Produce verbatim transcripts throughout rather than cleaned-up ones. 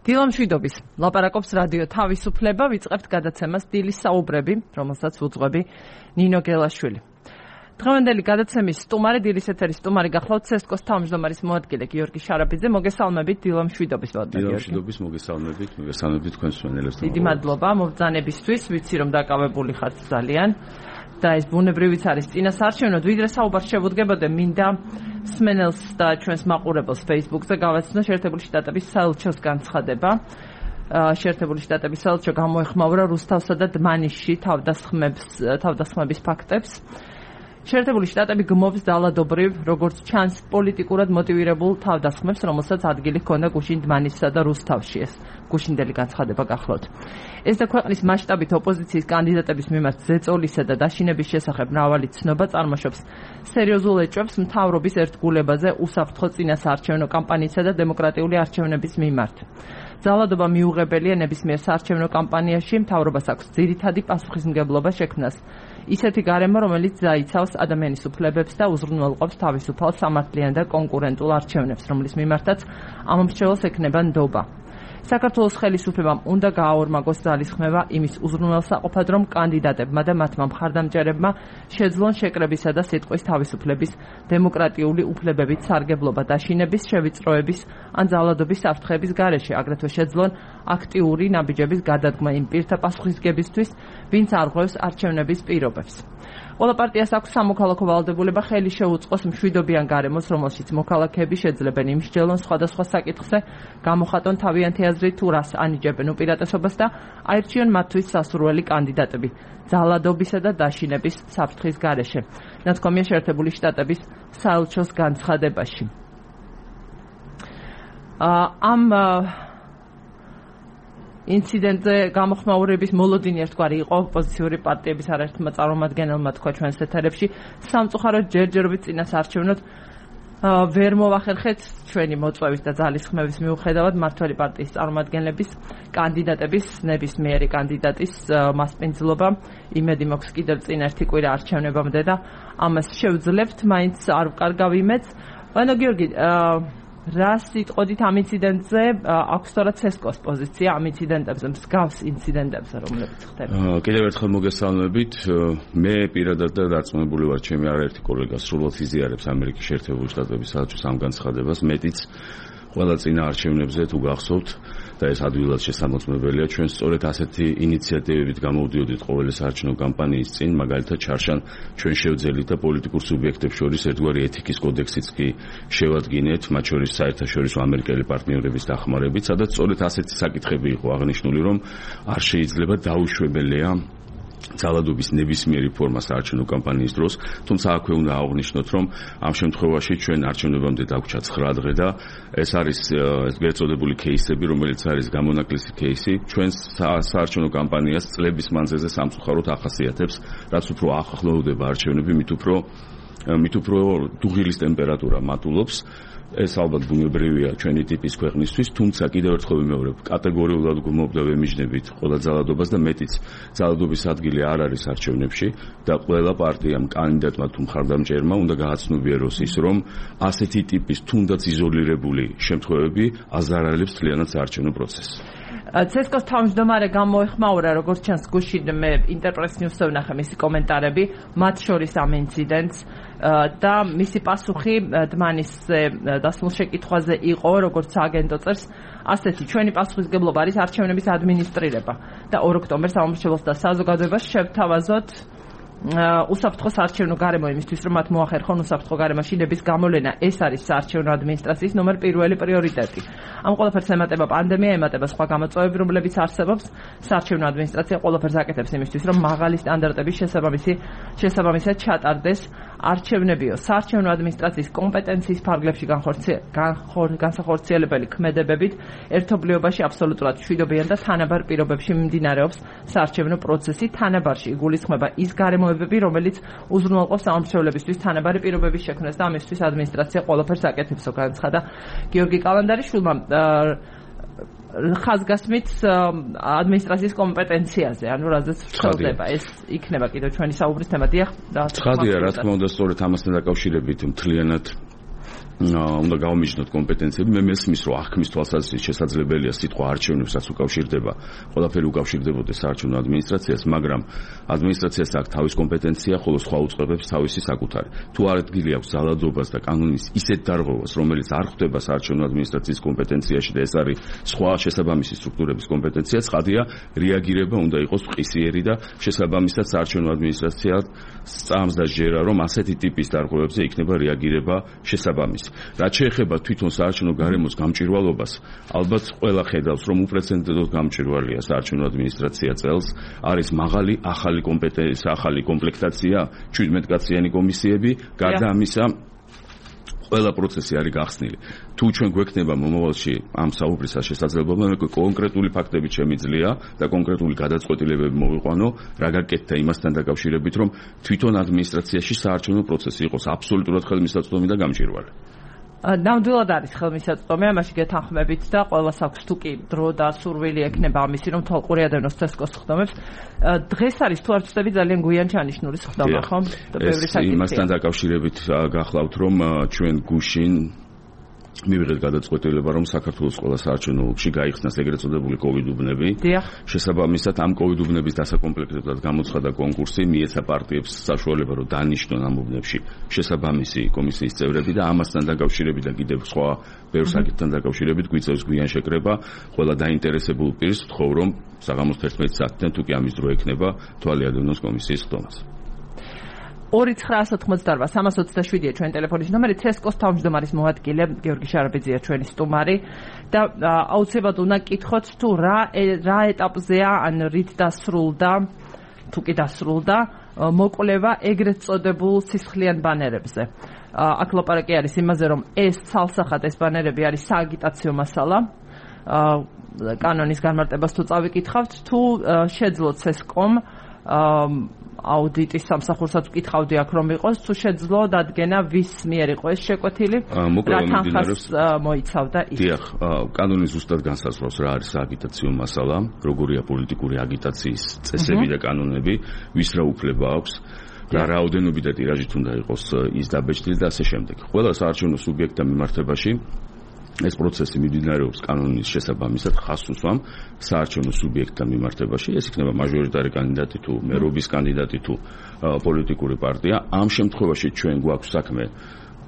დილამშვიდობის ლაპარაკობს რადიო თავისუფლება, ვიწყებთ გადაცემას დილის საუბრები, რომელსაც უძღვები ნინო გელაშვილი. დღევანდელი გადაცემის სტუმარი, დილის ეთერის სტუმარი გახლავთ ცესკოს თავმჯდომარის მოადგილე გიორგი შარაბიძე. მოგესალმებით დილამშვიდობის ვადნა გიორგი. დილამშვიდობის მოგესალმებით, მოგესალმებით თქვენ მსმენელებს. დიდი მადლობა მობრძანებისთვის, ვიცი რომ დაკავებული ხართ ძალიან. და ეს ბუნებრივიც არის წინასაარჩევნოდ, ვიდრე საუბარს შევუდგებოდე, მინდა მსმენელს და ჩვენს მაყურებელს Facebook-ზე გავაცნო შეერთებული შტატების საელჩოს განცხადება. შეერთებული შტატების საელჩო გამოეხმაურა რუსთავსა და დმანისში თავდასხმებს თავდასხმების ფაქტებს. შეერთებული შტატები გმობს ძალადობრივ, როგორც ჩანს, პოლიტიკურად მოტივირებულ თავდასხმებს, რომელსაც ადგილი ჰქონდა გუშინ დმანისსა და რუსთავში. ეს გუშინდელი განცხადება გახლავთ. ეს და ქვეყნის მასშტაბით ოპოზიციის კანდიდატების მიმართ ზეწოლისა და დაშინების შესახებ მრავალი ცნობა წარმოშობს სერიოზულ ეჭვებს მთავრობის ერთგულებაზე უსაფრთხო წინასაარჩევნო კამპანიისა და დემოკრატიული არჩევნების მიმართ. ძალადობა მიუღებელია ნებისმიერ საარჩევნო კამპანიაში, მთავრობას აქვს ძირითადი პასუხისმგებლობა შექმნას. ისეთი გარემო, რომელიც დაიცავს ადამიანის უფლებებს და უზრუნველყოფს თავისუფალ, სამართლიან და კონკურენტულ არჩევნებს, რომლის მიმართაც ამ მრჩეველს ექნება ნდობა. საქართველოს ხელისუფლებამ უნდა გააორმაგოს ძალისხმევა იმის უზრუნველსაყოფად, რომ კანდიდატებმა და მათმა მხარდამჭერებმა შეძლონ შეკრებისა და სიტყვის თავისუფლების, დემოკრატიული უფლებებით სარგებლობა დაშინების, შევიწროების ან ძალადობის საფრთხების გარეშე, აგრეთვე შეძლონ აქტიური ნაბიჯების გადადგმა იმ პირთა პასუხისგებისთვის, ვინც არღვევს არჩევნების პირობებს. ყველა პარტიას აქვს სამოქალაქო ვალდებულება ხელი შეუწყოს მშვიდობიან გარემოს, რომელშიც მოქალაქეები შეძლებენ იმსჯელონ სხვადასხვა საკითხზე, გამოხატონ თავიანთი აზრი თუ რას ანიჭებენ უპირატესობას და აირჩიონ მათთვის სასურველი კანდიდატები ძალადობისა და დაშინების საფრთხის გარეშე. ნათქვამია შეერთებული შტატების საელჩოს განცხადებაში. ამ ინციდენტზე გამოხმაურების მოლოდინი ერთგვარი იყო ოპოზიციური პარტიების არაერთმა წარმომადგენელმა თქვა ჩვენს ეთერებში, სამწუხაროდ ჯერჯერობით წინასაარჩევნოდ ვერ მოვახერხეთ ჩვენი მოწვევის და ძალისხმევის მიუხედავად მმართველი პარტიის წარმომადგენლების კანდიდატების ნებისმიერი კანდიდატის მასპინძლობა. იმედი მაქვს კიდევ წინ ერთი კვირა არჩევნებამდე და ამას შევძლებთ, მაინც არ ვკარგავ იმედს. ვანო გიორგი, რას იტყოდით ამ ინციდენტზე? აქვს თორა ცესკოს პოზიცია ამ ინციდენტებზე, მსგავს ინციდენტებზე, რომლებიც ხდება? კიდევ ერთხელ მოგესალმებით. მე პირადად და დარწმუნებული ვარ, ჩემი არაერთი კოლეგა სრულად იზიარებს ამერიკის შეერთებული შტატების საელჩოს ამ განცხადებას, მეტიც ყველა წინა არჩევნებზე თუ გახსოვთ და ეს ადვილად შესამოწმებელია, ჩვენ სწორედ ასეთი ინიციატივებით გამოვდიოდით ყოველი საარჩევნო კამპანიის წინ, მაგალითად ჩარშან ჩვენ შევძელით და პოლიტიკურ სუბიექტებს შორის ერთგვარი ეთიკის კოდექსიც კი შევადგინეთ, მათ შორის საერთაშორისო ამერიკელი პარტნიორების დახმარებით, სადაც სწორედ ასეთი საკითხები იყო აღნიშნული, რომ არ შეიძლება დაუშვებელია ძალადობის ნებისმიერი ფორმა საარჩევნო კამპანიის დროს, თუმცა აქვე უნდა აღვნიშნოთ, რომ ამ შემთხვევაში ჩვენ არჩევნებამდე დაგვჭა ცხრა დღე და ეს არის ეგრეთ წოდებული кейსები, რომელიც არის გამონაკლისი кейსი, ჩვენს საარჩევნო კამპანიას წლების მანძილზე სამწუხაროდ ახასიათებს, რაც უფრო ახლოვდება არჩევნები, მით უფრო მით უფრო დუღილის ტემპერატურა მატულობს. ეს ალბათ ბუნებრივია ჩვენი ტიპის ქვეყნისთვის, თუმცა კიდევ ერთხელ ვიმეორებ, კატეგორიულად გმობ და ვემიჯნებით ყველა ძალადობას და მეტიც ძალადობის ადგილი არ არის არჩევნებში და ყველა პარტიამ, კანდიდატმა თუ მხარდამჭერმა უნდა გააცნობიეროს ის, რომ ასეთი ტიპის თუნდაც იზოლირებული შემთხვევები აზარალებს მთლიანად საარჩევნო პროცესს. ცესკოს თავმჯდომარე გამოეხმაურა, როგორც ჩანს გუშინ მე ინტერპრეს ნიუსზე ვნახე მისი კომენტარები, მათ შორის ამ ინციდენტს და მისი პასუხი დმანისზე დასმულ შეკითხვაზე იყო, როგორც სააგენტო წერს, ასეთი ჩვენი პასუხისმგებლობა არის არჩევნების ადმინისტრირება და ორ ოქტომბერს ამომრჩეველს და საზოგადოებას შევთავაზოთ უსაფრთხო საარჩევნო გარემო იმისთვის, რომ მათ მოახერხონ უსაფრთხო გარემოში ნების გამოლენა. ეს არის საარჩევნო ადმინისტრაციის ნომერ პირველი პრიორიტეტი. ამ ყველაფერს ემატება პანდემია, ემატება სხვა გამოწვევები, რომლებიც არსებობს. საარჩევნო ადმინისტრაცია ყველაფერს აკეთებს იმისთვის, რომ მაღალი სტანდარტების შესაბამისი შესაბამისად ჩატარდეს არჩევნებიო. საარჩევნო ადმინისტრაციის კომპეტენციის ფარგლებში განსახორციელებელი ქმედებებით ერთობლიობაში აბსოლუტურად მშვიდობიან და თანაბარ პირობებში მიმდინარეობს საარჩევნო პროცესი. თანაბარში იგულისხმება ის გარემოებები, რომელიც უზრუნველყოფს ამომრჩევლებისთვის თანაბარი პირობების შექმნას და ამისთვის ადმინისტრაცია ყველაფერს აკეთებსო, განცხადა გიორგი კალანდარიშვილმა. ხაზგასმით ადმინისტრაციის კომპეტენციაზე, ანუ რაზეც ვრცელდება ეს იქნება კიდევ ჩვენი საუბრის თემა. დიახ, ცხადია, რა თქმა უნდა, სწორედ ამასთან დაკავშირებით მთლიანად უნდა გავამიჯნოთ კომპეტენციები. მე მესმის, რომ აღქმის თვალსაზრისით შესაძლებელია სიტყვა არჩევნებსაც უკავშირდება, ყველაფერი უკავშირდებოდეს საარჩევნო ადმინისტრაციას, მაგრამ ადმინისტრაციას აქვს თავის კომპეტენცია, ხოლო სხვა უწყებებს თავისი საკუთარი. თუ არ ადგილი აქვს ძალადობას და კანონის ისეთ დარღვევას, რომელიც არ ხვდება საარჩევნო ადმინისტრაციის კომპეტენციაში და ეს არის სხვა შესაბამისი სტრუქტურების კომპეტენცია, ცხადია, რეაგირება უნდა იყოს მყისიერი და შესაბამისად საარჩევნო ადმინისტრაცია სწამს და ჯერა, რომ ასეთი ტიპის დარღვევებზე იქნება რეაგირება შესაბამისი. რაც შეეხება თვითონ საარჩევნო გარემოს გამჭვირვალობას, ალბათ ყველა ხედავს, რომ უპრეცედენტოდ გამჭვირვალეა საარჩევნო ადმინისტრაცია წელს, არის მაღალი ახალი კომპეტენცია, ახალი კომპლექტაცია, შვიდმეტ კაციანი კომისიები, გარდა ამისა ყველა პროცესი არის გახსნილი. თუ ჩვენ გვექნება მომავალში ამ საუბრისა შესაძლებლობა, მე კონკრეტული ფაქტები შემიძლია და კონკრეტული გადაწყვეტილებები მოვიყვანო, რა გაკეთდა იმასთან დაკავშირებით, რომ თვითონ ადმინისტრაციაში საარჩევნო პროცესი იყოს აბსოლუტურად ხელმისაწვდომი და გამჭვირვალე. ნამდვილად არის ხელმისაწვდომი, ამაში გეთანხმებით და ყველას აქვს თუ კი დრო და სურვილი ექნება ამისი, რომ თვალყური ადევნოს ცესკოს ხდომებს. დღეს არის თუ არ ვცდები ძალიან გვიან ჩანიშნული ხდომა, ხო? ეს იმასთან დაკავშირებით გახლავთ, რომ ჩვენ გუშინ მივიღეთ გადაწყვეტილება, რომ საქართველოს ყველა საარჩევნო ოლქში გაიხსნას ეგრეთ წოდებული კოვიდ უბნები. შესაბამისად ამ კოვიდ უბნების დასაკომპლექტებლად გამოცხადა კონკურსი, მიეცა პარტიებს საშუალება, რომ დანიშნონ ამ უბნებში შესაბამისი კომისიის წევრები და ამასთან დაკავშირებით და კიდევ სხვა ბევრ საკითხთან დაკავშირებით გვიწევს გვიან შეკრება ყველა დაინტერესებულ პირს, ვთხოვ, რომ საღამოს თერთმეტი საათიდან თუ კი ამის დრო ექნება თვალი ადევნოს კომისიის ხდომას. ორი ცხრა ათი ოცდაოთხ სამას ოცდაშვიდია ჩვენ ტელეფონის ნომერი, ცესკოს თავმჯდომარის მოადგილე გიორგი შარაბიძეა ჩვენი სტუმარი და აუცილებლად უნდა კითხოთ თუ რა რა ეტაპზეა, ან რით დასრულდა, თუ კი დასრულდა მოკვლევა ეგრეთ წოდებულ სისხლიან ბანერებზე. აქ ლაპარაკი არის იმაზე, რომ ეს ცალსახად ეს ბანერები არის სააგიტაციო მასალა. კანონის განმარტებას თუ წავიკითხავთ, თუ შეძლო ცესკომ აუდიტის სამსახურსაც ვკითხავდი აქ, რომ იყოს, თუ შეძლო დადგენა ვის მიერ იყო ეს შეკვეთილი, რა თანხას მოიცავდა ის. დიახ, კანონი ზუსტად განსაზღვრავს რა არის აგიტაციო მასალა, როგორია პოლიტიკური აგიტაციის წესები და კანონები, ვის რა უფლება აქვს, რა რაოდენობით და ტირაჟით უნდა იყოს ის დაბეჭდილი და ასე შემდეგ. ყველა საარჩევნო სუბიექტთა მიმართებაში ეს პროცესი მიმდინარეობს კანონის შესაბამისად ხაზს უსვამ საარჩევნო სუბიექტთა მიმართებაში. ეს იქნება მაჟორიტარი კანდიდატი თუ მერობის კანდიდატი თუ პოლიტიკური პარტია. ამ შემთხვევაში ჩვენ გვაქვს საქმე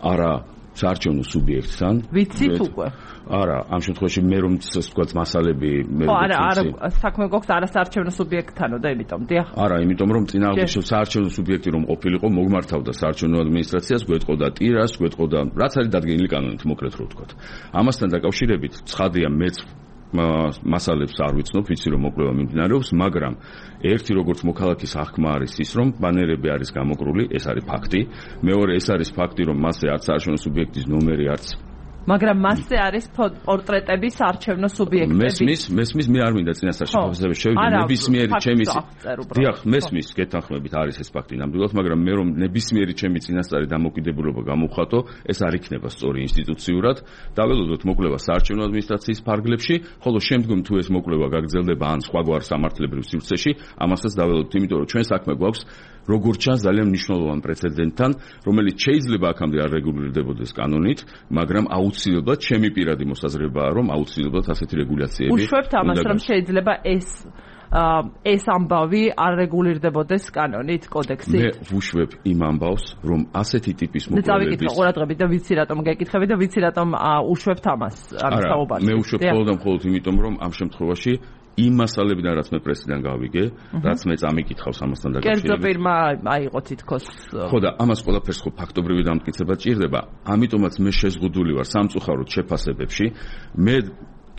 არა საარჩევნო სუბიექტთან. ვიცით უკვე? არა, ამ შემთხვევაში მე რომ თქვა მასალები მე რომ არა, არა, საქმე გვაქვს არა საარჩევნო სუბიექტთანო და იმიტომ, დიახ. არა, იმიტომ რომ წინააღმდეგ საარჩევნო სუბიექტი რომ ყოფილიყო, მოგმართავდა საარჩევნო ადმინისტრაციას, გვეტყოდა ტირას, გვეტყოდა რაც არის დადგენილი კანონით, მოკლედ რო ვთქვათ. ამასთან დაკავშირებით ცხადია მეც მასალებს არ ვიცნობ, ვიცი რომ მოკვლევა მიმდინარეობს, მაგრამ ერთი როგორც მოქალაქის აღქმა არის ის, რომ ბანერები არის გამოკრული, ეს არის ფაქტი. მეორე, ეს არის ფაქტი, რომ მასზე არც საარჩევნო სუბიექტის ნომერი არც მაგრამ მასზე არის პორტრეტები საარჩევნო სუბიექტების. მესმის, მესმის, მე არ მინდა წინასწარ შეფასებები შევიდე, ნებისმიერი ჩემი დიახ, მესმის, გეთანხმებით არის ეს ფაქტი ნამდვილად, მაგრამ მე რომ ნებისმიერი ჩემი წინასწარი დამოკიდებულება გამოვხატო, ეს არ იქნება სწორი ინსტიტუციურად. დაველოდოთ მოკვლევა საარჩევნო ადმინისტრაციის ფარგლებში, ხოლო შემდგომ თუ ეს მოკვლევა გაგრძელდება ან სხვაგვარ სამართლებრივ სივრცეში, ამასაც დაველოდოთ, იმიტომ რომ ჩვენ საქმე გვაქვს როგორც ჩანს ძალიან მნიშვნელოვან პრეცედენტთან, რომელიც შეიძლება აქამდე არ რეგულირდებოდეს კანონით, მაგრამ აუცილებლად ჩემი პირადი მოსაზრებაა, რომ აუცილებლად ასეთი რეგულაციები. უშვებთ ამას, რომ შეიძლება ეს ეს ამბავი არ რეგულირდებოდეს კანონით, კოდექსით. მე ვუშვებ იმ ამბავს, რომ ასეთი ტიპის მოკვლევების. წავიკითხო ყურადღებით და ვიცი რატომ გეკითხები და ვიცი რატომ უშვებთ ამას ამ საუბარს. მე უშვებ მხოლოდ და მხოლოდ იმიტომ, რომ ამ შემთხვევაში იმ მასალებიდან რაც მე პრესიდან გავიგე, რაც მე წამიკითხავს ამასთან დაკავშირებით. კერძო პირმა აიღო თითქოს. ხო და ამას ყველაფერს ხო ფაქტობრივი დამტკიცება ჭირდება. ამიტომაც მე შეზღუდული ვარ სამწუხაროდ შეფასებებში. მე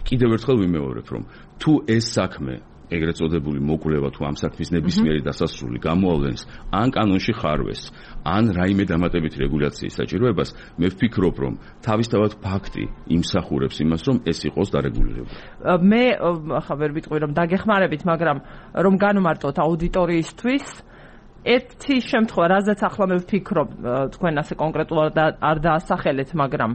კიდევ ერთხელ ვიმეორებ, რომ თუ ეს საქმე ეგრეთ წოდებული მოკვლევა თუ ამ საქმის ნებისმიერი დასასრული გამოავლენს ან კანონში ხარვეს, ან რაიმე დამატებითი რეგულაციის საჭიროებას, მე ვფიქრობ, რომ თავისთავად ფაქტი იმსახურებს იმას, რომ ეს იყოს დარეგულირებული. მე ახლა ვერ ვიტყვი, რომ დაგეხმარებით, მაგრამ რომ განვმარტოთ აუდიტორიისთვის, ერთი შემთხვევა, რაზეც ახლა მე ვფიქრობ, თქვენ ასე კონკრეტულად არ დაასახელეთ, მაგრამ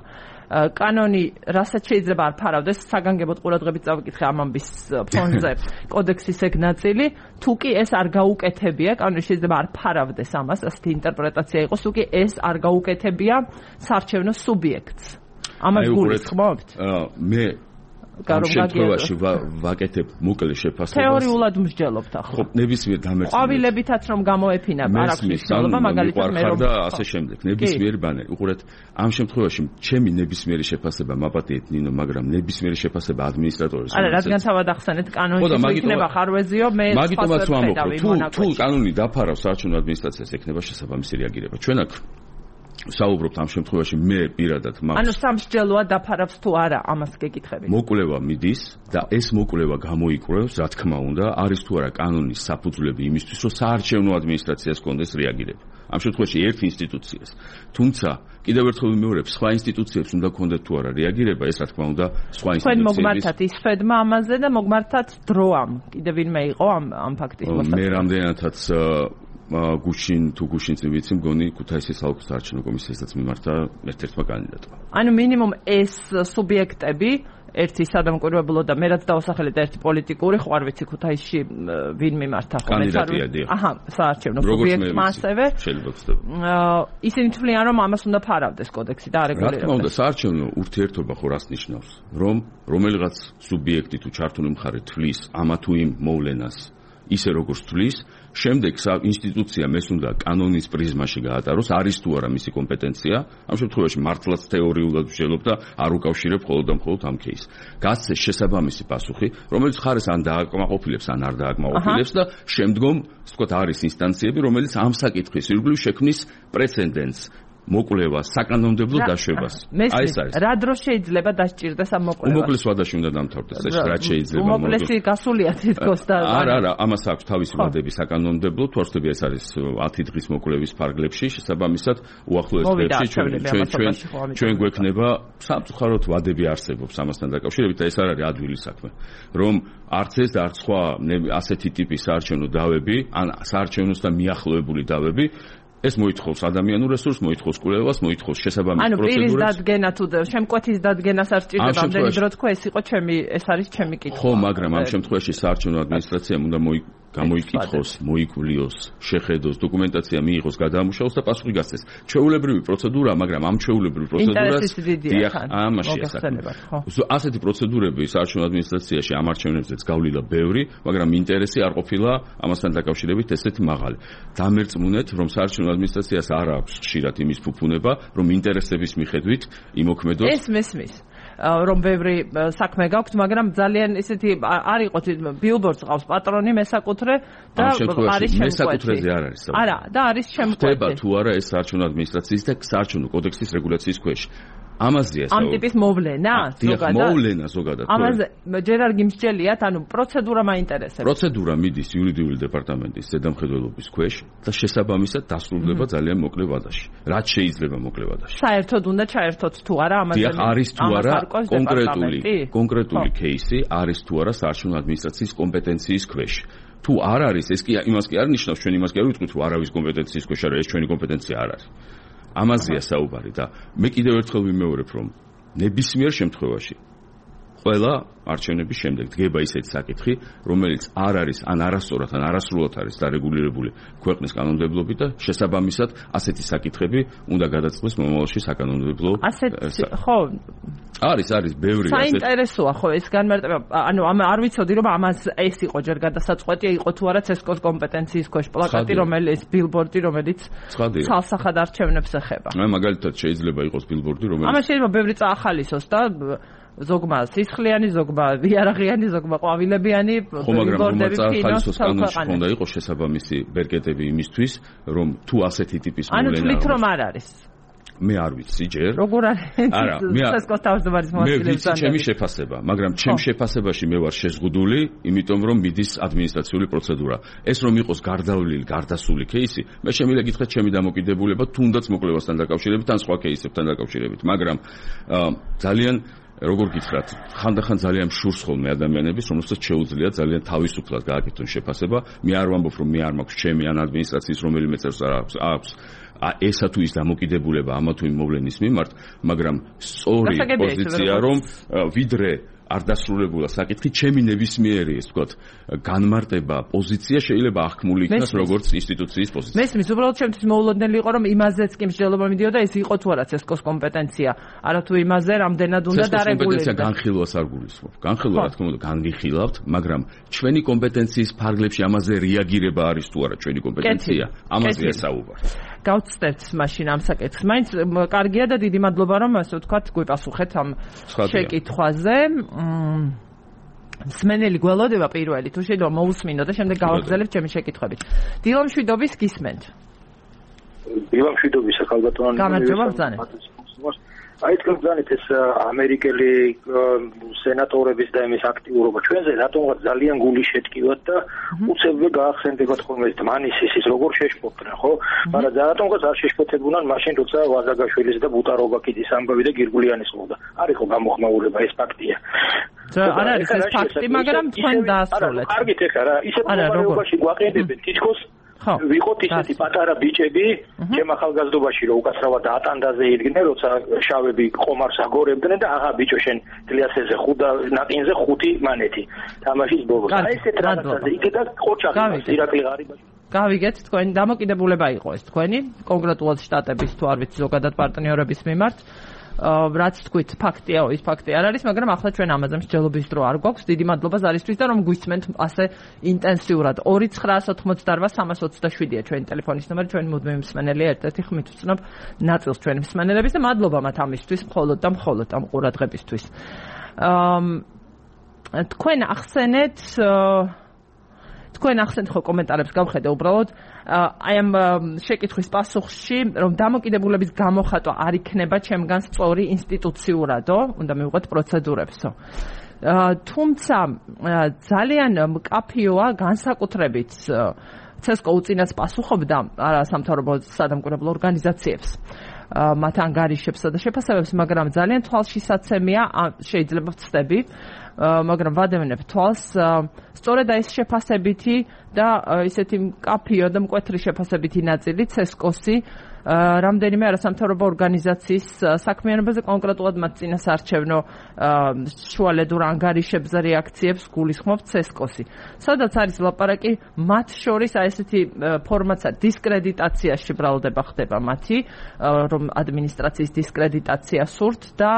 კანონი რასაც შეიძლება არ ფარავდეს, საგანგებოდ ყურადღებით წავიკითხე ამ ამბის ფონზე კოდექსის ეგ ნაწილი, თუ კი ეს არ გაუკეთებია, კანონი შეიძლება არ ფარავდეს ამას, ასეთი ინტერპრეტაცია იყოს, თუ კი ეს არ გაუკეთებია საარჩევნო სუბიექტს. ამას გულისხმობთ? მე ამ შემთხვევაში ვაკეთებ მოკლე შეფასებას. თეორიულად მსჯელობთ ახლა. ხო, ნებისმიერ დამერწმუნებას. ყვავილებითაც რომ გამოეფინა, არ აქვს მნიშვნელობა, მაგალითად მე რომ და ასე შემდეგ. ნებისმიერი ბანერი. უყურეთ, ამ შემთხვევაში ჩემი ნებისმიერი შეფასება მაპატიეთ ნინო, მაგრამ ნებისმიერი შეფასება ადმინისტრატორის. არა, რადგან თავად ახსენეთ კანონში იქნება ხარვეზიო, მე მაგიტომაც ვამბობ, თუ თუ კანონი დაფარავს საარჩევნო ადმინისტრაციას, ექნება შესაბამისი რეაგირება. ჩვენ აქ საუბრობთ ამ შემთხვევაში მე პირადად მაქვს. ანუ სამსჯელოა დაფარავს თუ არა, ამას გეკითხები. მოკვლევა მიდის და ეს მოკვლევა გამოიკვლევს, რა თქმა უნდა, არის თუ არა კანონის საფუძვლები იმისთვის, რომ საარჩევნო ადმინისტრაციას კონდეს რეაგირება. ამ შემთხვევაში ერთ ინსტიტუციას. თუმცა კიდევ ერთხელ ვიმეორებ, სხვა ინსტიტუციებს უნდა კონდეთ თუ არა რეაგირება, ეს რა თქმა უნდა, სხვა ინსტიტუციების. თქვენ მოგმართათ ისფედმა ამაზე და მოგმართათ დროამ. კიდევ ვინმე იყო ამ ამ ფაქტის მოსაწვევი. მე რამდენადაც გუშინ თუ გუშინც ვიცი მგონი ქუთაისის საოლქო საარჩევნო კომისიასაც მიმართა ერთ-ერთმა კანდიდატმა. ანუ მინიმუმ ეს სუბიექტები ერთი სადამკვირვებლო და მე რაც დავასახელეთ ერთი პოლიტიკური, ხო არ ვიცი ქუთაისში ვინ მიმართა ხო კანდიდატია დიახ. აჰა, საარჩევნო სუბიექტმა ასევე. შეიძლება ხდება. ისინი თვლიან რომ ამას უნდა ფარავდეს კოდექსი და არეგულირებდეს. რა თქმა უნდა, საარჩევნო ურთიერთობა ხო რას ნიშნავს? რომ რომელიღაც სუბიექტი თუ ჩართული მხარე თვლის ამა თუ იმ მოვლენას ისე როგორც თვლის, შემდეგ ინსტიტუციამ ეს უნდა კანონის პრიზმაში გაატაროს, არის თუ არა მისი კომპეტენცია, ამ შემთხვევაში მართლაც თეორიულად ვშელობ და არ უკავშირებ მხოლოდ და მხოლოდ ამ кейსს. გასცეს შესაბამისი პასუხი, რომელიც ხარეს ან დააკმაყოფილებს, ან არ დააკმაყოფილებს და შემდგომ, ვთქვათ, არის ინსტანციები, რომელიც ამ საკითხის ირგვლივ შექმნის პრეცედენტს. მოკვლევა საკანონმდებლო დაშვებას. აი ეს არის. რა დრო შეიძლება დასჭირდეს ამ მოკვლევას? უმოკლეს ვადაში უნდა დამთავრდეს ეს რა შეიძლება. უმოკლესი გასულია თითქოს და არა, არა, ამას აქვს თავისი ვადები საკანონმდებლო, თუ არ ვთქვი ეს არის ათი დღის მოკვლევის ფარგლებში, შესაბამისად უახლოეს დღეებში ჩვენ ჩვენ ჩვენ გვექნება სამწუხაროდ ვადები არსებობს ამასთან დაკავშირებით და ეს არ არის ადვილი საქმე. რომ არც ეს და არც სხვა ასეთი ტიპის საარჩევნო დავები, ან საარჩევნოსთან მიახლოებული დავები ეს მოითხოვს ადამიანურ რესურსს, მოითხოვს კვლევას, მოითხოვს შესაბამის პროცედურას. ანუ პირის პროცედურას. დადგენა თუ შემკვეთის დადგენას არ სჭირდება, ამ ამდენი შემთხვევაში- დრო თქვა, ეს იყო ჩემი, ეს არის ჩემი კითხვა. ხო, მაგრამ ამ შემთხვევაში საარჩევნო ადმინისტრაციამ უნდა მოი გამოიკითხოს, მოიკვლიოს, შეხედოს, დოკუმენტაცია მიიღოს, გადაამუშავოს და პასუხი გასცეს. ჩვეულებრივი პროცედურა, მაგრამ ამ ჩვეულებრივ პროცედურას ინტერესის დიდია თან. ამაში მოგეხსენებათ, ხო. ასეთი პროცედურები საარჩევნო ადმინისტრაციაში ამ არჩევნებზეც გავლილა ბევრი, მაგრამ ინტერესი არ ყოფილა ამასთან დაკავშირებით ესეთი მაღალი. დამერწმუნეთ, რომ საარჩევნო ადმინისტრაციას არ აქვს ხშირად იმის ფუფუნება, რომ ინტერესების მიხედვით იმოქმედოს. ეს მესმის. რომ ბევრი საქმე გაქვთ, მაგრამ ძალიან ისეთი არ იყოთ ბილბორდს ყავს პატრონი მესაკუთრე და არის შემკვეთი. მესაკუთრეზე არ არის საუბარი. არა, და არის შემკვეთი. ხდება თუ არა ეს საარჩევნო ადმინისტრაციის და საარჩევნო კოდექსის რეგულაციის ქვეშ. ამაზეა ამ ტიპის მოვლენა ზოგადად. მოვლენა ზოგადად. ამაზე ჯერ არ გიმსჯელიათ, ანუ პროცედურა მაინტერესებს. პროცედურა მიდის იურიდიული დეპარტამენტის ზედამხედველობის ქვეშ და შესაბამისად დასრულდება ძალიან მოკლე ვადაში. რაც შეიძლება მოკლე ვადაში. საერთოდ უნდა ჩაერთოთ თუ არა ამაზე. დიახ, არის თუ არა კონკრეტული კონკრეტული кейსი, არის თუ არა საარჩევნო ადმინისტრაციის კომპეტენციის ქვეშ. თუ არ არის, ეს კი იმას კი არ ნიშნავს, ჩვენ იმას კი არ ვიტყვით, რომ არავის კომპეტენციის ქვეშ არის, ეს ჩვენი კომპეტენცია არ არის. ამაზეა საუბარი და მე კიდევ ერთხელ ვიმეორებ, რომ ნებისმიერ შემთხვევაში ყველა არჩევნების შემდეგ დგება ისეთი საკითხი, რომელიც არ არის ან არასწორად ან არასრულად არის დარეგულირებული ქვეყნის კანონმდებლობით და შესაბამისად ასეთი საკითხები უნდა გადაწყდეს მომავალში საკანონმდებლო. ასეთ ხო არის არის ბევრი ასეთი. საინტერესოა ხო ეს განმარტება, ანუ არ ვიცოდი რომ ამას ეს იყო ჯერ გადასაწყვეტი, იყო თუ არა ცესკოს კომპეტენციის ქვეშ პლაკატი, რომელიც ბილბორდი, რომელიც ცალსახად არჩევნებს ეხება. მე მაგალითად შეიძლება იყოს ბილბორდი, რომელიც ამას შეიძლება ბევრი წაახალისოს და ზოგმა სისხლიანი, ზოგმა ვიარაღიანი, ზოგმა ყვავილებიანი ბილბორდები ფინოს კანონში ხონდა იყოს შესაბამისი ბერკეტები იმისთვის, რომ თუ ასეთი ტიპის მოვლენა. ანუ თვლით რომ არ არის. მე არ ვიცი ჯერ. როგორ არის? არა, მე ცესკოს თავმჯდომარის მოადგილეებს. მე ვიცი ჩემი შეფასება, მაგრამ ჩემ შეფასებაში მე ვარ შეზღუდული, იმიტომ რომ მიდის ადმინისტრაციული პროცედურა. ეს რომ იყოს გარდავლილი, გარდასული кейსი, მე შემიძლია გითხრათ ჩემი დამოკიდებულება თუნდაც მოკვლევასთან დაკავშირებით ან სხვა кейსებთან დაკავშირებით, მაგრამ ძალიან როგორ გითხრათ, ხანდახან ძალიან შურს ხოლმე ადამიანების, რომელსაც შეუძლია ძალიან თავისუფლად გააკეთონ შეფასება. მე არ ვამბობ, რომ მე არ მაქვს ჩემი ან ადმინისტრაციის რომელიმე წევრს აქვს აქვს ესა თუ ის დამოკიდებულება ამა თუ იმ მოვლენის მიმართ, მაგრამ სწორი პოზიცია რომ ვიდრე არ დასრულებულა საკითხი, ჩემი ნებისმიერი, ეს ვთქვათ, განმარტება, პოზიცია შეიძლება აღქმული იქნას როგორც ინსტიტუციის პოზიცია. მესმის, უბრალოდ ჩემთვის მოულოდნელი იყო, რომ იმაზეც კი მსჯელობა მიდიოდა, ეს იყო თუ არა ცესკოს კომპეტენცია. არა თუ იმაზე რამდენად უნდა დარეგულირდეს. ცესკოს კომპეტენცია განხილვას არ გულისხმობ. განხილვა, რა თქმა უნდა, განვიხილავთ, მაგრამ ჩვენი კომპეტენციის ფარგლებში ამაზე რეაგირება არის თუ არა ჩვენი კომპეტენცია, ამაზე ესაუბარ. გავწევთ მაშინ ამ საკითხს. მაინც კარგია და დიდი მადლობა, რომ ასე ვთქვათ, გვიპასუხეთ ამ შეკითხვაზე. მსმენელი გველოდება პირველი, თუ შეიძლება მოусმინო და შემდეგ გავაგრძელებთ ჩემი შეკითხვებით. დილა მშვიდობის გისმენთ. დილა მშვიდობის ახალგაზრდა. გამარჯობა ბრძანეთ. აი თქვენ ბრძანეთ ეს ამერიკელი სენატორების და იმის აქტიურობა ჩვენზე რატომღაც ძალიან გული შეტკივათ და უცებრე გაახსენდებათ ხოლმე ეს დმანის ის როგორ შეშფოთდნენ ხო? მაგრამ რატომღაც არ შეშფოთებულან მაშინ როცა ვაზაგაშვილის და ბუტაროვაკიძის ამბავი და გირგულიანის ყოდა. არ იყო გამოხმაურება ეს ფაქტია. არ არის ეს ფაქტი, მაგრამ თქვენ დაასრულეთ. კარგით ეხლა რა, ისეთ მდგომარეობაში გვაყენებენ თითქოს ვიყოთ ისეთი პატარა ბიჭები, ჩემ ახალგაზრდობაში რომ უკაცრავად ატანდაზე იდგნენ, როცა შავები ყომარს აგორებდნენ და აღა ბიჭო შენ გლიასეზე ხუდა ნაკინზე ხუთი მანეთი. თამაშის ბოლოს. აი ესეთ რაღაცაზე იქედა ყოჩაღი ირაკლი ღარიბაში. გავიგეთ, თქვენი დამოკიდებულება იყო ეს თქვენი, კონკრეტულად შტატების თუ არ ვიცი ზოგადად პარტნიორების მიმართ. რაც თქვით, ფაქტია, ის ფაქტი არ არის, მაგრამ ახლა ჩვენ ამაზე მსჯელობის დრო არ გვაქვს. დიდი მადლობა ზარისთვის და რომ გვისმენთ ასე ინტენსიურად. ორი ცხრაას ოცდაოთხმოცდაოთხ სამას ოცდაშვიდია ჩვენი ტელეფონის ნომერი, ჩვენი მუდმივი მსმენელია, ერთ-ერთი ხმით ვცნობ ნაწილს ჩვენი მსმენელების და მადლობა მათ ამისთვის, მხოლოდ და მხოლოდ ამ ყურადღებისთვის. თქვენ ახსენეთ თქვენ ახსენეთ ხო კომენტარებს გავხედე უბრალოდ აი ამ შეკითხვის პასუხში რომ დამოკიდებულების გამოხატვა არ იქნება ჩემგან სწორი ინსტიტუციურადო, უნდა მივიღოთ პროცედურებსო. თუმცა ძალიან მკაფიოა განსაკუთრებით ცესკო უწინას პასუხობდა არასამთავრობო სადამკვირვებლო ორგანიზაციებს მათ ანგარიშებსა და შეფასებებს, მაგრამ ძალიან თვალშისაცემია, შეიძლება ვცდები, მაგრამ ვადევნებ თვალს, სწორედ ეს შეფასებითი და ისეთი მკაფიო და მკვეთრი შეფასებითი ნაწილი ცესკოსი რამდენიმე არასამთავრობო ორგანიზაციის საქმიანობაზე, კონკრეტულად მათ წინასარჩევნო შუალედურ ანგარიშებზე რეაქციებს გულისხმობს ცესკოსი. სადაც არის ლაპარაკი, მათ შორის აი ესეთი ფორმაცა დისკრედიტაციაში ბრალდება ხდება მათი, რომ ადმინისტრაციის დისკრედიტაცია სურთ და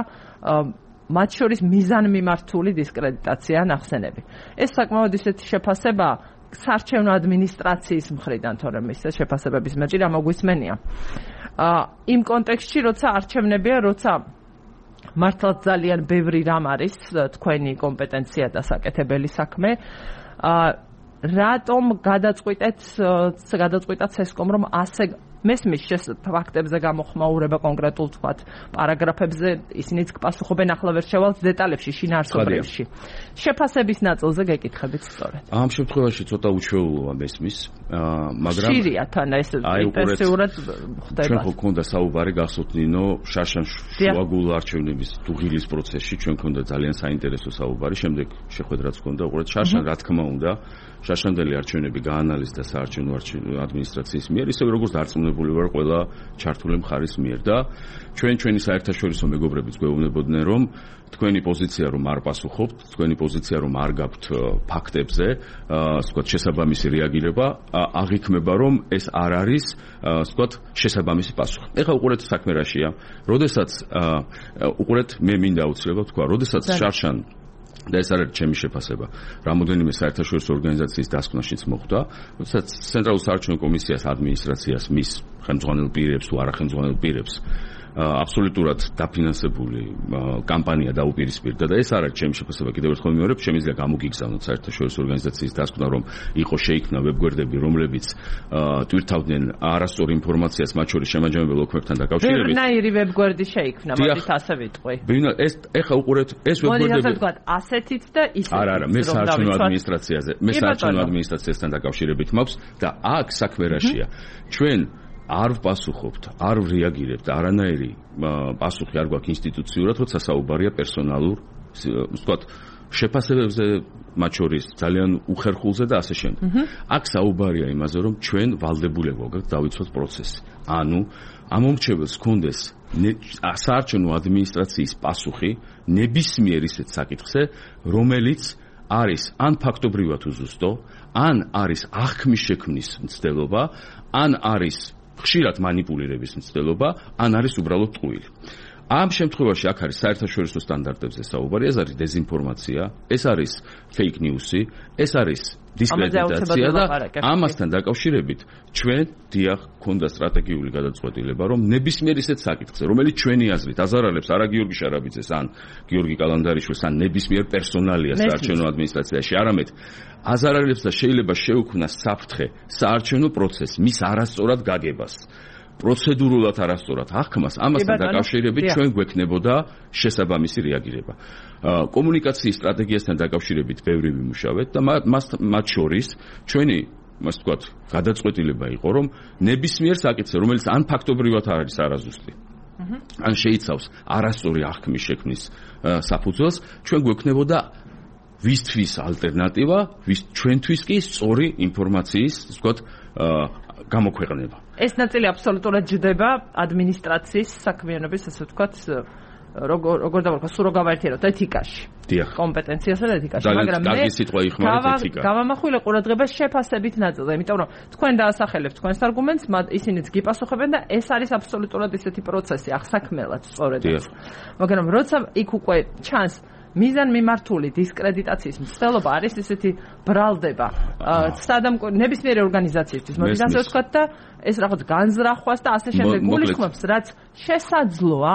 მათ შორის მიზანმიმართული დისკრედიტაცია ნახსენები. ეს საკმაოდ ისეთი შეფასება საარჩევნო ადმინისტრაციის მხრიდან, თორემ ის შეფასებების მეჭი რა მოგვისმენია. იმ კონტექსტში, როცა არჩევნებია, როცა მართლაც ძალიან ბევრი რამ არის თქვენი კომპეტენცია და საკეთებელი საქმე, რატომ გადაწყვიტეთ გადაწყვიტა ცესკომ რომ ასე მესმის ფაქტებზე გამოხმაურება კონკრეტულ თქვათ პარაგრაფებზე, ისინიც პასუხობენ, ახლა ვერ შევალთ დეტალებში, შინაარსობრივში. შეფასების ნაწილზე გეკითხებით სწორედ. ამ შემთხვევაში ცოტა უჩვეულოა მესმის, მაგრამ ხშირია თან ეს ინტენსიურად ხდება. ჩვენ ხო გქონდა საუბარი გახსოვთ ნინო შაშან შუაგულ არჩევნების დუღილის პროცესში, ჩვენ გქონდა ძალიან საინტერესო საუბარი, შემდეგ შეხვედრაც გქონდა, უყურეთ შაშან რა თქმა უნდა შაშანდელი არჩევნები გაანალიზდა საარჩევნო ადმინისტრაციის მიერ, ისე როგორც დარწმუნებული ვარ ყველა ჩართული მხარის მიერ და ჩვენ ჩვენი საერთაშორისო მეგობრებიც გვეუბნებოდნენ, რომ თქვენი პოზიცია რომ არ პასუხობთ, თქვენი პოზიცია რომ არ გაქვთ ფაქტებზე, ასე ვთქვათ, შესაბამისი რეაგირება, აღიქმება რომ ეს არ არის, ასე ვთქვათ, შესაბამისი პასუხი. ეხლა უყურეთ საქმე რაშია. როდესაც უყურეთ მე მინდა აუცილებლად თქვა, როდესაც შარშან და ეს არის ჩემი შეფასება. რამოდენიმე საერთაშორისო ორგანიზაციის დასკვნაშიც მოხდა, როდესაც ცენტრალურ საარჩევნო კომისიას ადმინისტრაციას მის ხელმძღვანელ პირებს თუ არახელმძღვანელ პირებს აბსოლუტურად დაფინანსებული კამპანია დაუპირისპირდა და ეს არის ჩემი შეფასება. კიდევ ერთხელ მეორე, შემიძლია გამოგიგზავნოთ საერთაშორისო ორგანიზაციის დასკვნა, რომ იყო შეიქმნა ვებგვერდები, რომლებიც ტვირთავდნენ არასწორ ინფორმაციას, მათ შორის შემაჯამებელ ოქმებთან დაკავშირებით. ბევრნაირი ვებგვერდი შეიქმნა, მოდით ასე ვიტყვი. ეს ეხლა უყურეთ, ეს ვებგვერდები. მოდით ასე ვთქვათ, ასეთით და ისეთით. არა, არა, მე საარჩევნო ადმინისტრაციაზე, მე საარჩევნო ადმინისტრაციასთან დაკავშირებით მაქვს და აქ საქმე რაშია. ჩვენ არ ვპასუხობთ, არ რეაგირებთ, არანაირი პასუხი არ გვაქვს ინსტიტუციურად, როცა საუბარია პერსონალურ, ვთქვათ, შეფასებებზე, მათ შორის ძალიან უხერხულზე და ასე შემდეგ. აქ საუბარია იმაზე, რომ ჩვენ ვალდებული გვაქვს დავიცვათ პროცესი. ანუ ამომრჩეველს ჰქონდეს საარჩევნო ადმინისტრაციის პასუხი ნებისმიერ ისეთ საკითხზე, რომელიც არის ან ფაქტობრივად უზუსტო, ან არის აღქმის შექმნის მცდელობა, ან არის ხშირად манипуლირების მცდელობა, ან არის უბრალოდ ტყუილი. ამ შემთხვევაში აქ არის საერთაშორისო სტანდარტებზე საუბარი, ეს არის დეზინფორმაცია, ეს არის fake news-ი, ეს არის დისკრედიტაცია და ამასთან დაკავშირებით ჩვენ დიახ ქონდა სტრატეგიული გადაწყვეტილება, რომ ნებისმიერ ისეთ საკითხზე, რომელიც ჩვენი აზრით აზარალებს არა გიორგი შარაბიძეს ან გიორგი კალანდარიშვილს ან ნებისმიერ პერსონალიას საარჩევნო ადმინისტრაციაში, არამედ აზარალებს და შეიძლება შეუქმნას საფრთხე საარჩევნო პროცესს, მის არასწორად გაგებას. პროცედურულად არასწორად აღქმას, ამასთან დაკავშირებით ჩვენ გვექნებოდა შესაბამისი რეაგირება. კომუნიკაციის სტრატეგიასთან დაკავშირებით ბევრი ვიმუშავეთ და მათ შორის ჩვენი, ასე ვთქვათ, გადაწყვეტილება იყო, რომ ნებისმიერ საკითხზე, რომელიც ან ფაქტობრივად არის არაზუსტი, ან შეიცავს არასწორი აღქმის შექმნის საფუძველს, ჩვენ გვექნებოდა ვისთვის ალტერნატივა, ვის ჩვენთვის კი სწორი ინფორმაციის, ასე ვთქვათ, გამოქვეყნება. ეს ნაწილი აბსოლუტურად ჯდება ადმინისტრაციის საქმიანობის, ასე ვთქვათ, როგორ როგორ დავარქვა, სულ რო გავაერთიანოთ ეთიკაში. დიახ. კომპეტენციასა და ეთიკაში, მაგრამ მე კარგი სიტყვა იხმარეთ ეთიკა. გავამახვილე ყურადღებას შეფასებით ნაწილზე, იმიტომ რომ თქვენ დაასახელებთ თქვენს არგუმენტს, ისინიც გიპასუხებენ და ეს არის აბსოლუტურად ისეთი პროცესი, ახსაქმელად სწორედ. მაგრამ როცა იქ უკვე ჩანს მიზან მიმართული დისკრედიტაციის მცდელობა არის ესეთი ბრალდება სადამკვირ ნებისმიერი ორგანიზაციისთვის მოდით ასე ვთქვათ და ეს რაღაც განზრახვას და ასე შემდეგ გულისხმობს რაც შესაძლოა